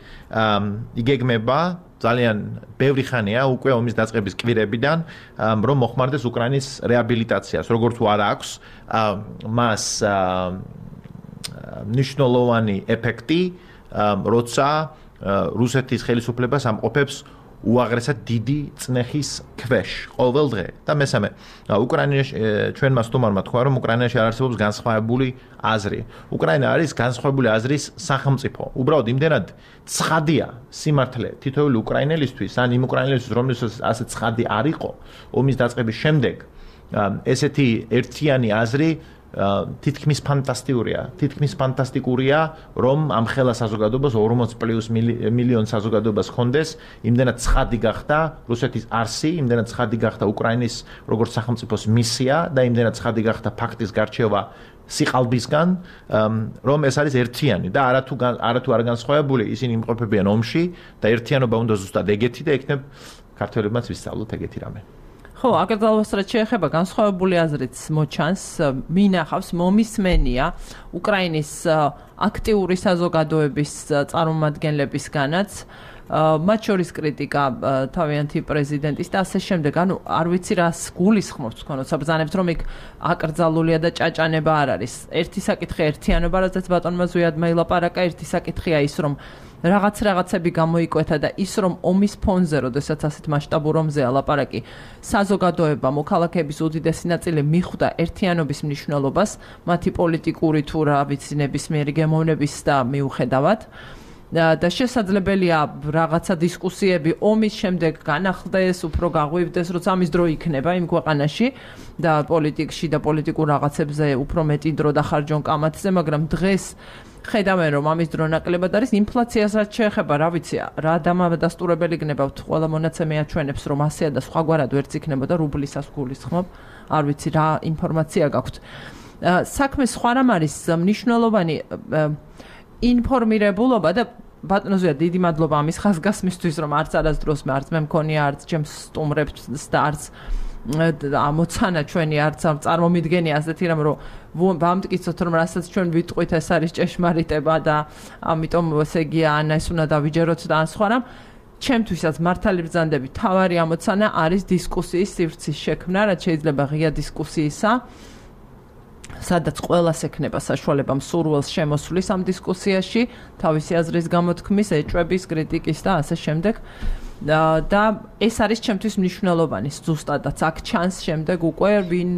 იგეგმება ძალიან ბევრი ხანია უკვე ომის დაწყების კვირებიდან, რომ მოხმარდეს უკრაინის რეაბილიტაციას, როგორც თუ არ აქვს მას მნიშვნელოვანი ეფექტი, როცა რუსეთის ხელისუფლებას ამყოფებს უაღრესად დიდი წნეხის ქვეშ ყოველ დღე. და მესამე, უკრაინაში ჩვენმა სტუმარმა თქვა, რომ უკრაინაში არ არსებობს განსხვავებული აზრი. უკრაინა არის განსხვავებული აზრის სახელმწიფო. უბრალოდ იმდენად ცხადია სიმართლე თითოეული უკრაინელისთვის, ან იმ უკრაინელისთვის, რომელსაც ასე ცხადი არ იყო ომის დაწყების შემდეგ, ესეთი ერთიანი აზრი თითქმის ფანტასტიკურია, რომ ამ ხელა საზოგადოებას 40+ მილიონ საზოგადოებას ხონდეს, იმდენად ცხადი გახდა რუსეთის არსი, იმდენად ცხადი გახდა უკრაინის როგორც სახელმწიფოს მისია და იმდენად ცხადი გახდა ფაქტის გარჩევა სიყალბისგან, რომ ეს არის ერთიანი და არათუ არ განსხვავებული, ისინი იმყოფებიან ომში და ერთიანობა უნდა ზუსტად ეგეთი და იქნებ ქართველებმაც ვისწავლოთ ეგეთი რამე. ხო, აკრძალვას რაც შეეხება განსხვავებული აზრიც მოჩანს, მინახავს მომისმენია უკრაინის აქტიური საზოგადოების წარმომადგენლებისგანაც, მათ შორის კრიტიკა თავიანთი პრეზიდენტის და ასე შემდეგ. ანუ არ ვიცი რას გულისხმობს თქვენ, საბრძანებთ რომ იქ აკრძალულია და ჭაჭანება არ არის. ერთი საკითხი ერთიანობა, რაზეც ბატონმა ზვიადმა ილაპარაკა, ერთი საკითხია ის რომ რაღაცები გამოიკვეთა და ის რომ ომის ფონზე, როდესაც ასეთ მასშტაბურ ომზეა ლაპარაკი, საზოგადოება, მოქალაქეების უდიდესი ნაწილი მიხვდა ერთიანობის მნიშვნელობას, მათი პოლიტიკური თუ რა ვიცი ნებისმიერი გემოვნების და მიუხედავად. და შესაძლებელია რაღაცა დისკუსიები ომის შემდეგ განახლდეს, უფრო გაღვივდეს, როცა ამის დრო იქნება იმ ქვეყანაში და პოლიტიკში და პოლიტიკურ რაღაცებზე უფრო მეტი დრო დახარჯონ კამათზე, მაგრამ დღეს ხედავენ რომ ამის დრო ნაკლებად არის. ინფლაციას რაც შეეხება, რა ვიცი, რა დამადასტურებელი გნებავთ, ყველა მონაცემი აჩვენებს რომ ასეა და სხვაგვარად ვერც იქნებოდა რუბლისას გულისხმობ, არ ვიცი რა ინფორმაცია გაქვთ. საქმე სხვა რამ არის მნიშვნელოვანი ინფორმირებულობა და ბატონო ზვია, დიდი მადლობა ამის ხაზგასმისთვის, რომ არც არასდროს არც მე მქონია, არც ჩემს სტუმრებს და არც ამოცანა ჩვენი არც წარმომიდგენია ასეთი რამ, რომ ვამტკიცოთ, რომ რასაც ჩვენ ვიტყვით, ეს არის ჭეშმარიტება და ამიტომ ესე იგი ანა ეს უნდა დავიჯეროთ და ან სხვა რამ. ჩემთვისაც მართალი ბრძანდები, თავარი ამოცანა არის დისკუსიის სივრცის შექმნა, რაც შეიძლება ღია დისკუსიისა, სადაც ყველას ექნება საშუალება მსურველს შემოსვლის ამ დისკუსიაში, თავისი აზრის გამოთქმის, ეჭვების, კრიტიკის და ასე შემდეგ. და ეს არის ჩემთვის მნიშვნელოვანი, ზუსტადაც აქ ჩანს შემდეგ უკვე ვინ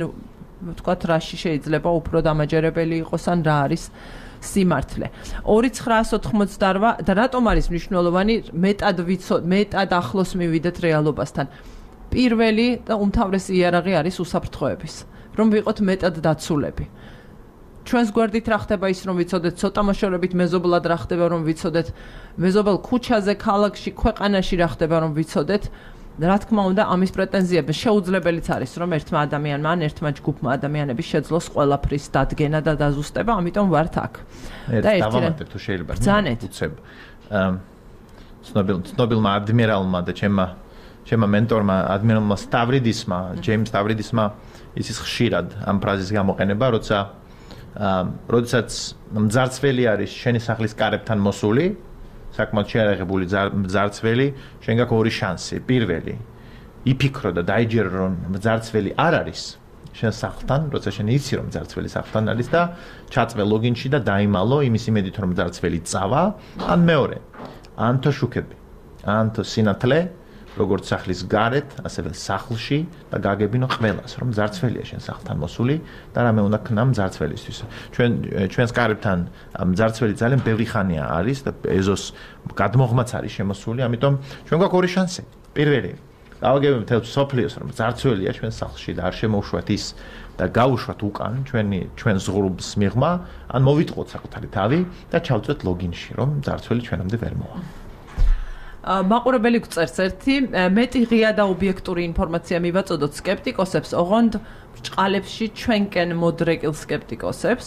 ვთქვათ რაში შეიძლება უფრო დამაჯერებელი იყოს ან რა არის სიმართლე. 2988 და რატომ არის მნიშვნელოვანი მეტად ახლოს მივიდეთ რეალობასთან. პირველი და უმთავრესი იარაღი არის უსაფრთხოების. რომ ვიყოთ მეტად დაცულები. ჩვენს გვერდით რა ხდება ის რომ ვიცოდეთ, ცოტა მოშორებით მეზობლად რა ხდება რომ ვიცოდეთ, მეზობელ ქუჩაზე, ქალაქში, ქვეყანაში რა ხდება რომ ვიცოდეთ. რა თქმა უნდა, ამის პრეტენზიები შეუძლებელიც არის რომ ერთმა ადამიანმა ან ერთმა ჯგუფმა ადამიანების შეძლოს ყველაფრის დადგენა და დაზუსტება, ამიტომ ვართ აქ. და დავამატებ თუ შეიძლება. უცებ. ცნობილმა ადმირალმა და ჩემმა მენტორმა ადმირალმა სტავრიდისმა, ჯეიმს სტავრიდისმა ის ხშირად ამ ფრაზის გამოყენება, როდესაც მძარცველი არის შენი სახლის კარებთან მოსული, საკმაოდ შეარაღებული მძარცველი, შენ გაქვს ორი შანსი. პირველი, იფიქრო და დაიჯერო, რომ მძარცველი არ არის, შენ სახლთან, როცა შენ იცი რომ მძარცველი სახლთან არის და ჩაწვე ლოგინში და დაიმალო იმის იმედით რომ მძარცველი წავა, ან მეორე, ან თო შუქები, ან თო სინათლე, როგორც სახლის გარეთ, ასევე სახლში და გაგებინო ყველას, რომ მძარცველია შენ სახლთან მოსული და რამე უნდა ქნა მძარცველისთვის. ჩვენს კარებთან მძარცველი ძალიან ბევრი ხანია არის და ეზოს გადმოღმაც არის შემოსული, ამიტომ ჩვენ გვაქვს ორი შანსი. პირველი, გავაგებინოთ მთელ სოფლიოს, რომ მძარცველია ჩვენ სახლში და არ შემოვშვათ ის და გავუშვათ უკან ჩვენ ზღურბლს მიღმა, ან მოვიტყოთ საკუთარი თავი და ჩავწვეთ ლოგინში, რომ მძარცველი ჩვენამდე ვერ მოვა. მაყურებელი გწერს ერთი მეტი ღია და ობიექტური ინფორმაცია მივაწოდოთ სკეპტიკოსებს, ოღონდ ბრჭყალებში ჩვენკენ მოდრეკილ სკეპტიკოსებს,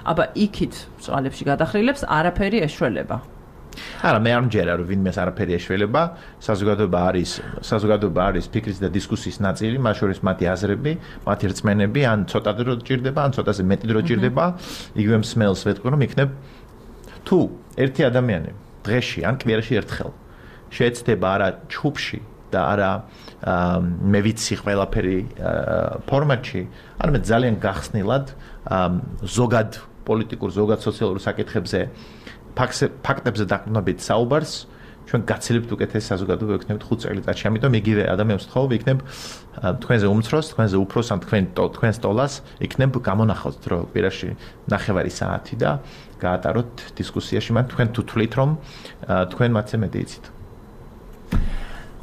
აბა იქით ბრჭყალებში გადახრილებს არაფერი ეშველება. არა, მე არ მჯერა რომ ვინმეს არაფერი ეშველება, საზოგადოება არის ფიქრის და დისკუსიის ნაწილი, მათ შორის მათი აზრები, მათი რწმენები, ან ცოტა დრო ჭირდება, ან ცოტაზე მეტი დრო ჭირდება, იგივე მსმელს ვეთქვი რომ იქნებ თუ ერთი ადამიანი დღეში ან კვირაში ერთხელ შეეცდება არა ჩუბში და არა მე ვიცი ყველაფერი ფორმატში, არამედ ძალიან გახსნილად ზოგად პოლიტიკურ, ზოგად სოციალურ საკითხებზე ფაქტებზე დაყრდნობით საუბარს, ჩვენ გაცილებთ უკეთეს საზოგადოება ვიქნებთ 5 წელიწადში. ამიტომ იგივე ადამიანს ვთხოვ, ვიქნებ თქვენზე უმცროს, თქვენზე უფროს ან თქვენს ტოლას, იქნებ გამონახავთ დრო კვირაში 9 საათი და გაატაროთ დისკუსიაში, მაგრამ თქვენ თუ თვლით რომ თქვენ მათზე მეტი იცით.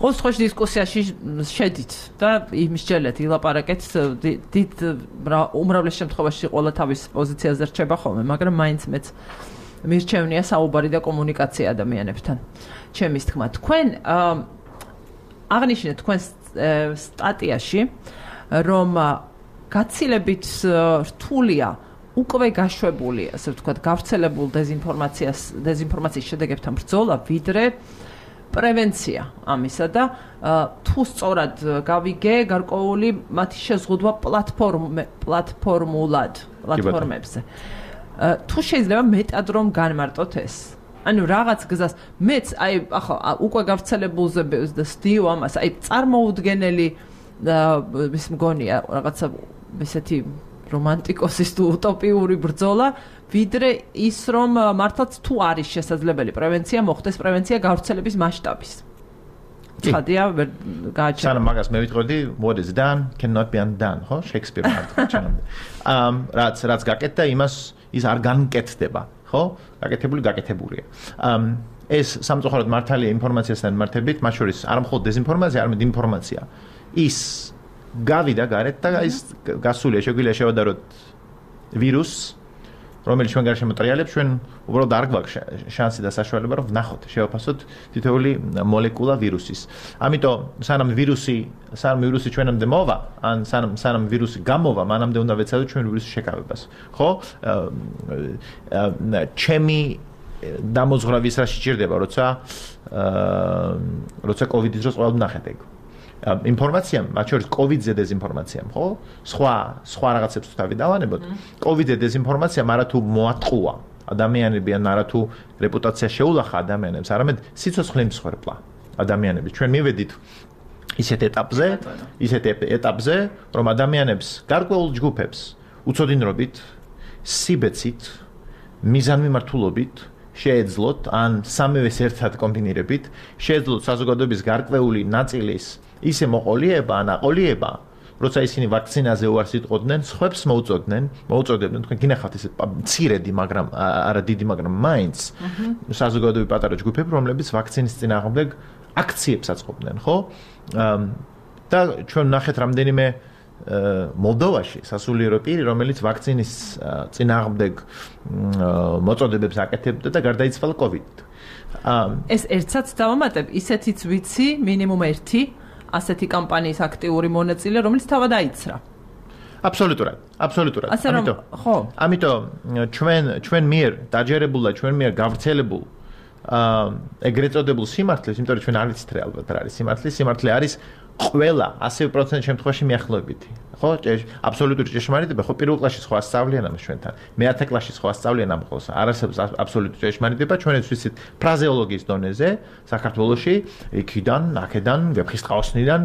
ყოველ შემთხვევაში დისკუსიაში შედით და იმსჯელეთ, ილაპარაკეთ, დიდ უმრავლეს შემთხვევაში ყველა თავის პოზიციაზე რჩება ხოლმე, მაგრამ მაინც მეც მირჩევნია საუბარი და კომუნიკაცია ადამიანებთან. ჩემის თქმა, თქვენ აღნიშნეთ თქვენ სტატიაში, რომ გაცილებით რთულია უკვე გაშვებული, ასე ვთქვათ, გავრცელებულ დეზინფორმაციის შედეგებთან ბრძოლა, ვიდრე პრევენცია ამისა და თუ სწორად გავიგე გარკვეული მათი შეზღუდვა პლატფორმებზე. თუ შეიძლება მეტად რომ განმარტოთ ეს. ანუ რაღაც გზას მეც აი ახლა უკვე გავრცელებულზე ვსდიო ამას, აი წარმოუდგენელი ის მგონია რაღაცა ესეთი რომანტიკოსის თუ утоპიური ბრძოლა, ვიდრე ის რომ მართლაც თუ არის შესაძლებელი პრევენცია მოხდეს, პრევენცია გავრცელების მასშტაბის. ცხადია, გააჩერე. სანამ მაგას მე ვიტყოდი, what is done cannot be undone, ხო? შექსპირი მარტო ჩანამდე. რაც გაკეთდა, ის არ განკეთდება, ხო? გაკეთებულია. ეს სამწუხაროდ მართალია ინფორმაციასთან მართებით, მათ შორის არ მხოლოდ დეზინფორმაცია, არამედ ინფორმაცია. ის გავიდა გარეთ და ის გასულია, შეგვიძლია შევადაროთ ვირუსს, რომელიც ჩვენ გარშემო ტრიალებს, ჩვენ უბრალოდ არ გვაქვს შანსი და საშუალება რომ ვნახოთ, შევაფასოთ თითოეული მოლეკულა ვირუსის. ამიტომ სანამ ვირუსი ჩვენამდე მოვა, ან სანამ ვირუსი გამოვა, მანამდე უნდა ვეცადოთ ჩვენ ვირუსის შეკავებას. ხო? ჩემი დამოძღვრავის რა შეჭირდება, როცა COVID-ის დროს ყველამ ნახეთ ეგ. ინფორმაცია, მათ შორის COVID-ზე დეზინფორმაცია, ხო? სხვა რაღაცებს თუ თავი დავანებოთ. COVID-ზე დეზინფორმაცია, მაგრამ თუ მოატყუა ადამიანები ან არა თუ რეპუტაცია შეულახა ადამიანებს, არამედ სიცოცხლე მსხვერპლა ადამიანების. ჩვენ მივედით ისეთ ეტაპზე, რომ ადამიანებს, გარკვეულ ჯგუფებს უწოდინრობით, სიბეცით, მიზანმიმართულობით შეეძლოთ ან სამივეს ერთად კომბინირებით, შეეძლოთ საზოგადოების გარკვეული ნაწილის ისე მოყოლიება ან აყოლიება, როცა ისინი ვაქცინაზე უარს იტყოდნენ, სხვებს მოუწოდებდნენ, თქვენ გინახავთ ეს მცირედი, მაგრამ არა დიდი, მაგრამ მაინც საზოგადოების პატარა ჯგუფები, რომლებიც ვაქცინის წინააღმდეგ აქციებს აწყობდნენ, ხო? და ჩვენ ნახეთ რამდენიმე მოლდოვაში სასულიერო პირი, რომელიც ვაქცინის წინააღმდეგ მოწოდებებს აკეთებდა და გარდაიცვალა COVID-ით. ეს ერთსაც დავამატებ, ისეთიც ვიცი, მინიმუმ ერთი ასეთი კამპანიის აქტიური მონაწილე, რომელიც თავად აიცრა. აბსოლუტურად. ამიტომ ჩვენ მიერ დაჯერებულ და ჩვენ მიერ გავრცელებულ ეგრეთ წოდებულ სიმართლეს, იმიტომ რომ ჩვენ არ ვიცით რა ალბათ რა არის სიმართლე. სიმართლე არის ყველა 100% შემთხვევაში მიახლოებითი. ხო? აბსოლუტური ჭეშმარიტება, ხო, პირველ კლასში სხვა სწავლიან ამას ჩვენთან. მე-10 კლასში სხვა სწავლიან ამ ხოლოს. არასდროს აბსოლუტური ჭეშმარიტება, ჩვენც ვიცით ფრაზეოლოგიის დონეზე, საქართველოში, იქიდან, აქედან, ვეფხისტყაოსნიდან,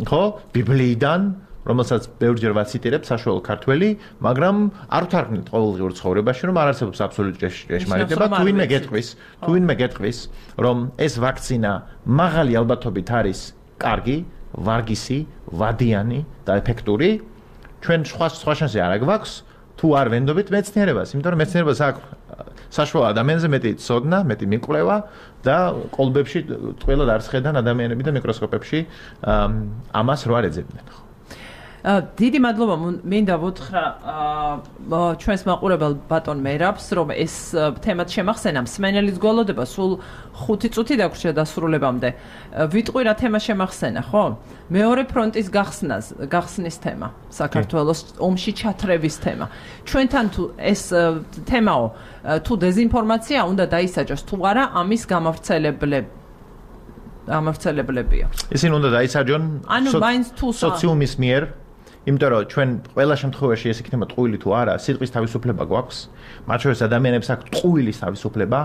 ხო, ბიბლიიდან, რომელსაც ბევრჯერ ვაციტირებ საშუალო ქართველი, მაგრამ არ ვთარგმნით ყოველდღიურ ცხოვრებაში, რომ არ არსებობს აბსოლუტური ჭეშმარიტება, თუ ვინმე გეტყვის, რომ ეს ვაქცინა მაღალი ალბათობით არის კარგი, ვარგისი, ვადიანი და ეფექტური, ჩვენ სხვა შანსი არ აგვაქვს, თუ არ ვენდობით მეცნიერებას, იმიტომ რომ მეცნიერებას აქვს საშუალო ადამიანზე მეტი ცოდნა, მეტი მიკვლევა და კოლბებში ტყველად არ შეხედან ადამიანები და მიკროსკოპებში ამას რო არ ეძებდნენ. დიდი მადლობა მინდა ვუთხრა ჩვენს მაყურებელ ბატონ მერაბს, რომ ეს თემაც შემახსენა მსმენელის გველოდება სულ 5 წუთი დაგვრჩა დასრულებამდე. ვიტყვი რა თემა შემახსენა, ხო? მეორე ფრონტის გახსნის თემა, საქართველოს ომში ჩათრევის თემა. ჩვენთან თუ ეს თემაო თუ დეზინფორმაცია უნდა დაისაჯოს თუ არა, ამის გამავრცელებლებია. ისინი უნდა დაისაჯონ სოციუმის მიერ, იმიტომ რომ ჩვენ ყველა შემთხვევაში ეს იქნება ტყუილი თუ არა, სიტყვის თავისუფლება გვაქვს, მათ შორის ადამიანებს აქვს ტყუილის თავისუფლება,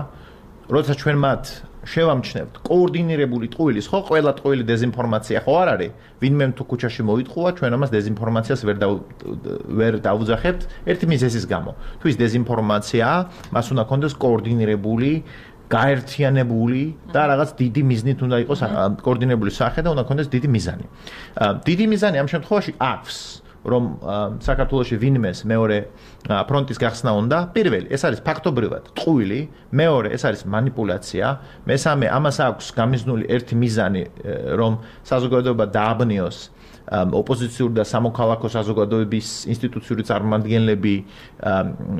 როდესაც ჩვენ მათ შევამჩნევთ კოორდინირებული ტყუილის, ხო, ყველა ტყუილი დეზინფორმაცია ხო არ არის, ვინმე თუ ქუჩაში მოიტყუა, ჩვენ ამას დეზინფორმაციას ვერ დავუძახებთ ერთი მიზეზის გამო. თუ ის დეზინფორმაციაა, მას უნდა კონდეს კოორდინირებული გაერთიანებული და რაღაც დიდი მიზნით უნდა იყოს კოორდინირებული სახე და უნდა კონდეს დიდი მიზანი. დიდი მიზანი ამ შემთხვევაში აქვს, რომ საქართველოში ვინმეს მეორე ფრონტის გახსნა უნდა. პირველი, ეს არის ფაქტობრივად ტყუილი, მეორე, ეს არის манипуляция, მესამე, ამას აქვს გამიზნული ერთი მიზანი, რომ საზოგადოება დააბნიოს ოპოზიციური და სამოქალაქო საზოგადოების ინსტიტუციური წარმომადგენლები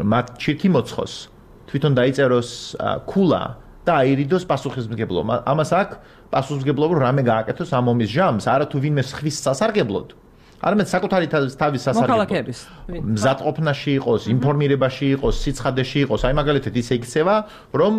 მათ ჩირთი მოცხოს. თვითონ დაიწეროს ქულა და აირიდოს პასუხისმგებლობა. ამას აქვს პასუხისმგებლობა რამე გააკეთოს ამ ომის ჟამს, არა თუ ვინმე ხვის სასარგებლოდ. არამედ საკუთარი თავის სასარგებლოდ. მზადყოფნაში იყოს, ინფორმირებაში იყოს, სიცხადეში იყოს, აი მაგალითად ისე იქცევა, რომ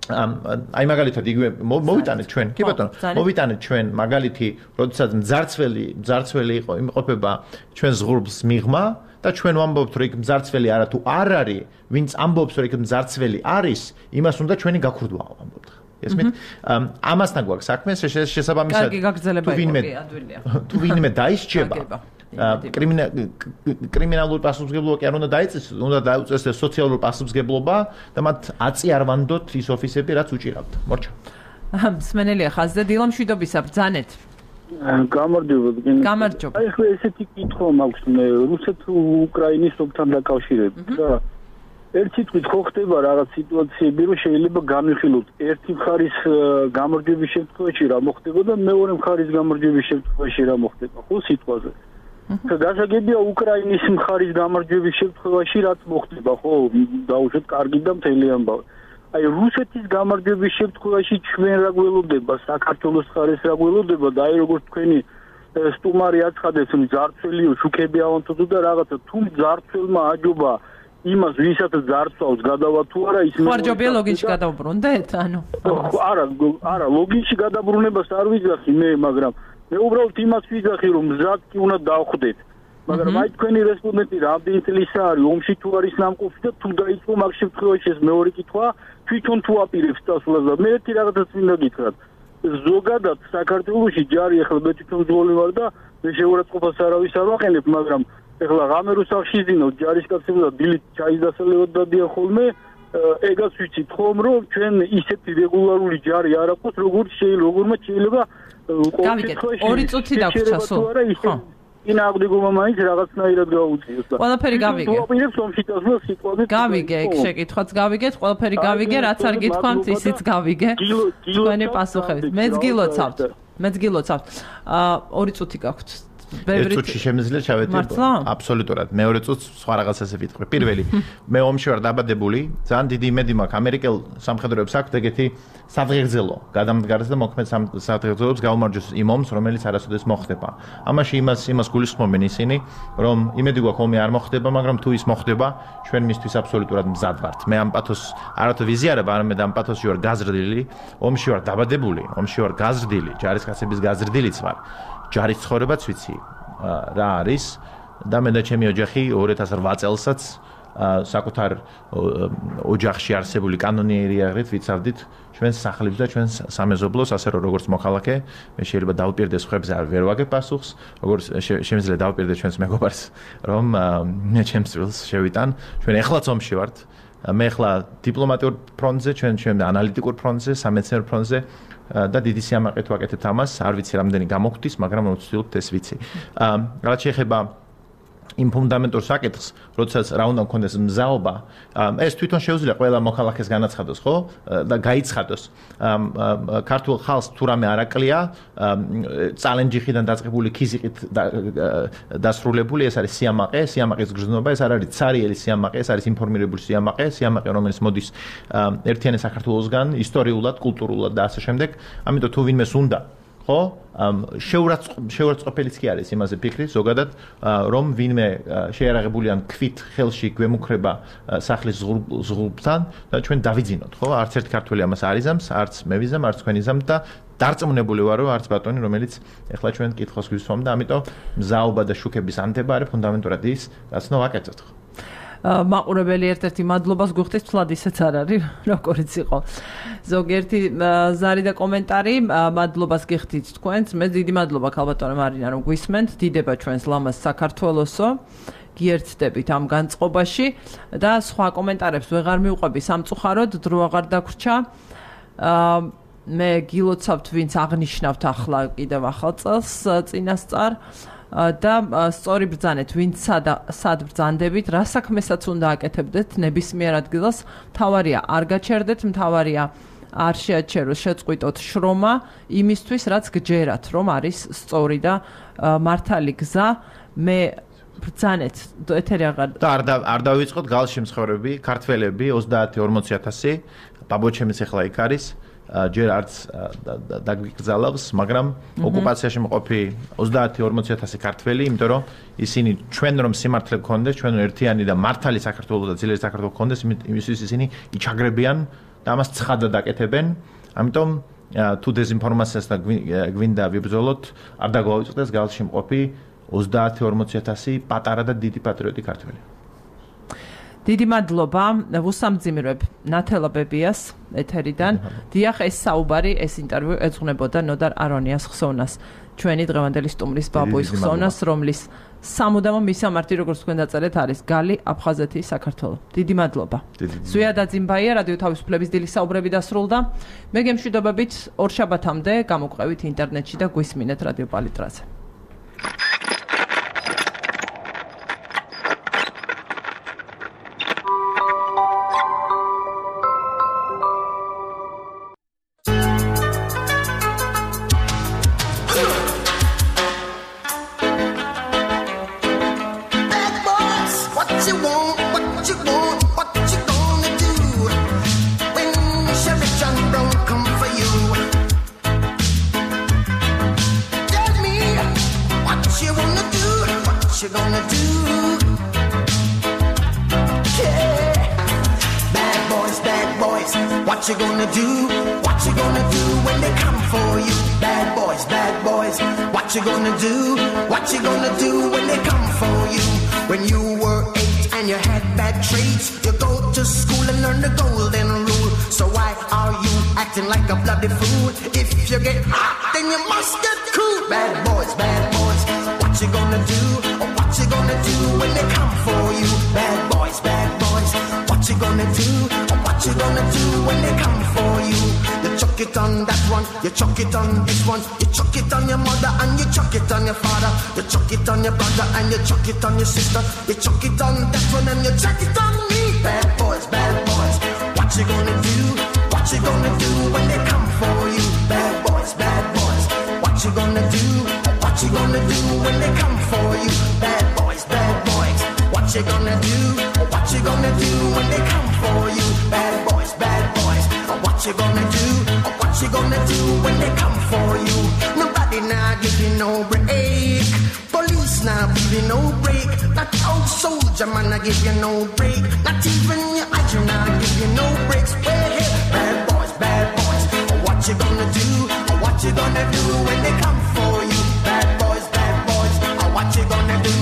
აი მაგალითად იგივე მოვიტანეთ ჩვენ, კი ბატონო, მოვიტანეთ ჩვენ მაგალითი, როდესაც მძარცველი იმყოფება ჩვენ ზღურბლს მიღმა და ჩვენ ვამბობთ, რომ იქ მძარცველი არა თუ არ არის, ვინც ამბობს, რომ იქ მძარცველი არის, იმას უნდა ჩვენი გაქურდვა ვამბობთ. ესმით? ამასთან გვაქვს საქმე, შესაბამისად თუ ვინმე დაისჯება კრიმინალური პასუხისმგებლობა კი არ უნდა დაიწესოს, უნდა დაუწესოს სოციალური პასუხისმგებლობა და მათ აწი არ ვანდოთ ის ოფისები, რაც უჭირავთ. მორჩა. მსმენელია ხაზზე, დილა მშვიდობისა, ბრძანეთ. გამარჯობა. აი ხო ესეთი კითხვა მაქვს მე რუსეთ-უკრაინის ომთან დაკავშირებით და ერთი თვით ხო ხდება რაღაც სიტუაციები, რომ შეიძლება განვიხილოთ ერთი მხარის გამარჯვების შემთხვევაში რა მოხდება და მეორე მხარის გამარჯვების შემთხვევაში რა მოხდება, ხო სიტყვაზე. გასაგებია უკრაინის მხარის გამარჯვების შემთხვევაში რაც მოხდება, ხო, დაუშვათ კარგი და მთელი ამბავი. აი რუსეთის გამარჯვების შემთხვევაში ჩვენ რა გველოდება, საქართველოს მხარეს რა გველოდება და აი როგორც თქვენი სტუმარი აცხადებს, მძარცველიო შუქები ავანთო და რაღაცა თუ მძარცველმა აჯობა იმას ვისაც ძარცვავს გადავა თუ არა ის ხარჯობია ლოგინში გადაუბრუნდეთ ანუ არა ლოგინში გადაბრუნებას არ ვიძახი მე მაგრამ მე უბრალოდ იმას ვიძახი რომ მზად კი უნდა დავხვდეთ მაგრამ აი თქვენი რესპონდენტი რამდენი წლისა არის ომში თუ არის ნამყოფი და თუ დაიწყო მაგ შემთხვევაში ეს მეორე კითხვა თვითონ თუ აპირებს წასვლას და მე ერთი რაღაცას მინდა გითხრათ ზოგადად საქართველოში ჯარი ახლა მე თვითონ ძველი ვარ და მე შეურაცხყოფას არავის არ ვაყენებ მაგრამ ეხლა ღამე რუსახში ძინო ჯარისკაცები და დილით ჩაის დასალევად დადიან ხოლმე ეგაც ვიცით ხომ რომ ჩვენ ისეთი რეგულარული ჯარი არ აქვს როგორც შეიძლება გავიგეთ 2 წუთი დაგვრჩა სულ ხო ინაგდიგობა მაინც რაღაცნაირად გაუწიოს და ყველაფერი გავიგე თუ აპირებს ომში წასვლას სიტყვაზე გავიგე ეგ შეკითხვაც გავიგეთ ყველაფერი გავიგე რაც არ გითქვამთ ისიც გავიგე თქვენი პასუხებით მეც გილოცავთ 2 წუთი გაქვთ ერთ წუთში შემიძლია ჩავეტირო აბსოლუტურად მეორე წუთს სხვა რაღაცაზე ვიტყვი პირველი მე ომში ვარ დაბადებული ძალიან დიდი იმედი მაქვს ამერიკელ სამხედროებს აქვთ ეგეთი სადღეგრძელო გადამდგარს და მოქმედ სადღეგრძელოებს გაუმარჯოს იმ ომს რომელიც არასოდეს მოხდება ამაში იმას გულისხმობენ ისინი რომ იმედი გვაქვს ომი არ მოხდება მაგრამ თუ ის მოხდება ჩვენ მისთვის აბსოლუტურად მზად ვართ მე ამ პათოს არათუ ვიზიარებ არამედ ამ პათოსში ვარ გაზრდილი ომში ვარ დაბადებული ომში ვარ გაზრდილი ჯარისკაცების გაზრდილიც ვარ ჯარის ცხოვრებაც ვიცი რა არის და მე და ჩემი ოჯახი 2008 წელსაც საკუთარ ოჯახში არსებული კანონიერიარით ვიცავდით ჩვენს სახლებს და ჩვენს სამეზობლოს, ასე რომ როგორც მოქალაქე, მე შეიძლება დავპირდეს ხებზე ვერ ვაგებ პასუხს, როგორც შემიძლია დავპირდე ჩვენს მეგობარს, რომ მე ჩემს წვილს შევიტან. ჩვენ ეხლაც ომში ვართ. მე ახლა დიპლომატიურ ფრონტზე, ჩვენ ანალიტიკურ ფრონტზე, სამეცნიერო ფრონტზე და დიდი სიამაყით ვაკეთებთ ამას. არ ვიცი რამდენი გამოგვდის, მაგრამ ვცდილობთ ეს ვიცი. რაც შეეხება იმ ფუნდამენტურ საკითხს, როდესაც რა უნდა მქონდეს მზაობა, ეს თვითონ შეუძლია ყველა მოქალაქეს განაცხადოს, ხო? და გაიცხადოს. ქართულ ხალხს თუ რამე არ აკლია, წალენჯიხიდან დაწყებული ქიზიყით დასრულებული, ეს არის სიამაყე, სიამაყის გრძნობა, ეს არ არის ცარიელი სიამაყე, ეს არის ინფორმირებული სიამაყე, სიამაყე, რომელიც მოდის ერთიანი საქართველოსგან, ისტორიულად, კულტურულად და ასე შემდეგ. ამიტომ თუ ვინმეს უნდა ხო შეურაცხყოფელიც კი არის იმაზე ფიქრი ზოგადად რომ ვინმე შეარაღებული ან ქვით ხელში გვემუქრება სახლის ზღურბთან და ჩვენ დავიძინოთ ხო არც ერთ ქართველი ამას არ იზამს არც მე ვიზამ არც თქვენ იზამთ და დარწმუნებული ვარ რომ არც ბატონი რომელიც ეხლა ჩვენ კითხავს გვისვამ და ამიტომ მზაობა და შუქების ანთება არის ფუნდამენტურად ის რაც ნუ ვაკეთოთ ხო მაყურებელი ერთ-ერთი მადლობას გვიხდის თლად ისეც არ არის როგორიც იყო ზოგიერთი ზარი და კომენტარი მადლობას გიხდით თქვენს მე დიდი მადლობა ქალბატონო მარინა რომ გვისმენთ დიდება ჩვენს ლამაზ საქართველოსო გიერთდებით ამ განწყობაში და სხვა კომენტარებს ვეღარ მივყვები სამწუხაროდ დრო აღარ დაგვრჩა მე გილოცავთ ვინც აღნიშნავთ ახლა კიდევ ახალ წელს წინასწარ და სწორი ბრძანეთ ვინც სად ბრძანდებით რა საქმესაც უნდა აკეთებდეთ ნებისმიერ ადგილას მთავარია არ გაჩერდეთ მთავარია არ შეაჩეროს შეწყვიტოთ შრომა იმისთვის რაც გჯერათ რომ არის სწორი და მართალი გზა მე ბრძანეთ ეთერი აღარ და არ დავიწყოთ გალში მსხვერები ქართველები 30-40,000 ბაბოჩემიც ახლა იქ არის ჯერ არც დაგიგზალავს, მაგრამ ოკუპაციაში მყოფი 30-40,000 ქართველი, იმიტომ რომ ისინი ჩვენ რომ სიმართლე გქონდეს, ჩვენ ერთიანი და მართალი საქართველოს და ძლიერი საქართველოს გქონდეს, იმისთვის ისინი იჩაგრებიან და ამას ცხადად აკეთებენ. ამიტომ თუ დეзинფორმაციას და გვინდა ვიბრძოლოთ, არ დაგვაუწყდეს გალში მყოფი 30-40,000 პატარა და დიდი პატრიოტი ქართველი. დიდი მადლობა ვუსამძიმრებ ნათელა ბებიას ეთერიდან დიახ ეს საუბარი ეს ინტერვიუ ეძღვნებოდა ნოდარ არონიას ხსოვნას ჩვენი დღევანდელი სტუმრის ბაბუის ხსოვნას რომლის სამუდამო მისამართი როგორც თქვენ დაწერეთ არის გალი აფხაზეთი საქართველო დიდი მადლობა ზვიადა ძიმბაია რადიო თავისუფლების დილის საუბრები დასრულდა მე გემშვიდობებით ორშაბათამდე გამოგვყევით ინტერნეტში და გვისმინეთ რადიო პალიტრაზე What you gonna do? What you gonna do when they come for you? Bad boys, what you gonna do? What you gonna do when they come for you? When you were 8 and you had bad traits, you go to school and learn the golden rule. So why are you acting like a bloody fool? If you get hot, then you must get cool. Bad boys, what you gonna do? Or what you gonna do when they come for you? Bad boys, what you gonna do? Or what you gonna do when they come for you? You chuck it on that one, you chuck it on this one, you chuck it on your mother and you chuck it on your father, you chuck it on your brother and you chuck it on your sister, you chuck it on that one and you chuck it on me. Bad boys, what you gonna do? What you gonna do when they come for you? Bad boys, what you gonna do? What you gonna do when they come for you? Bad boys, what you gonna do? What you gonna do when they come for you? Bad boys, what you gonna do? What you gonna do when they come for you? Nobody now give you no break. Police now give you no break. Not old soldier man I give you no break. Not even your agent now give you no breaks. Hey, bad boys, what you gonna do? What you gonna do when they come for you? Bad boys, what you gonna do?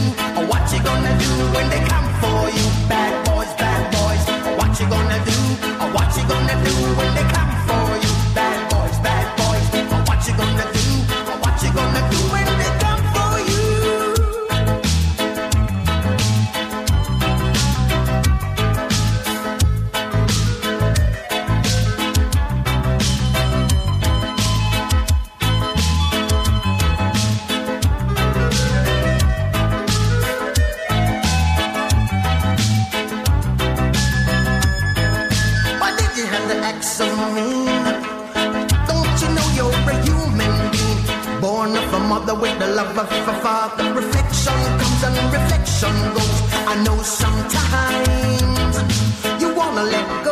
What you gonna do when they come for you? Bad boys, reflection comes and reflection goes. I know sometimes you wanna let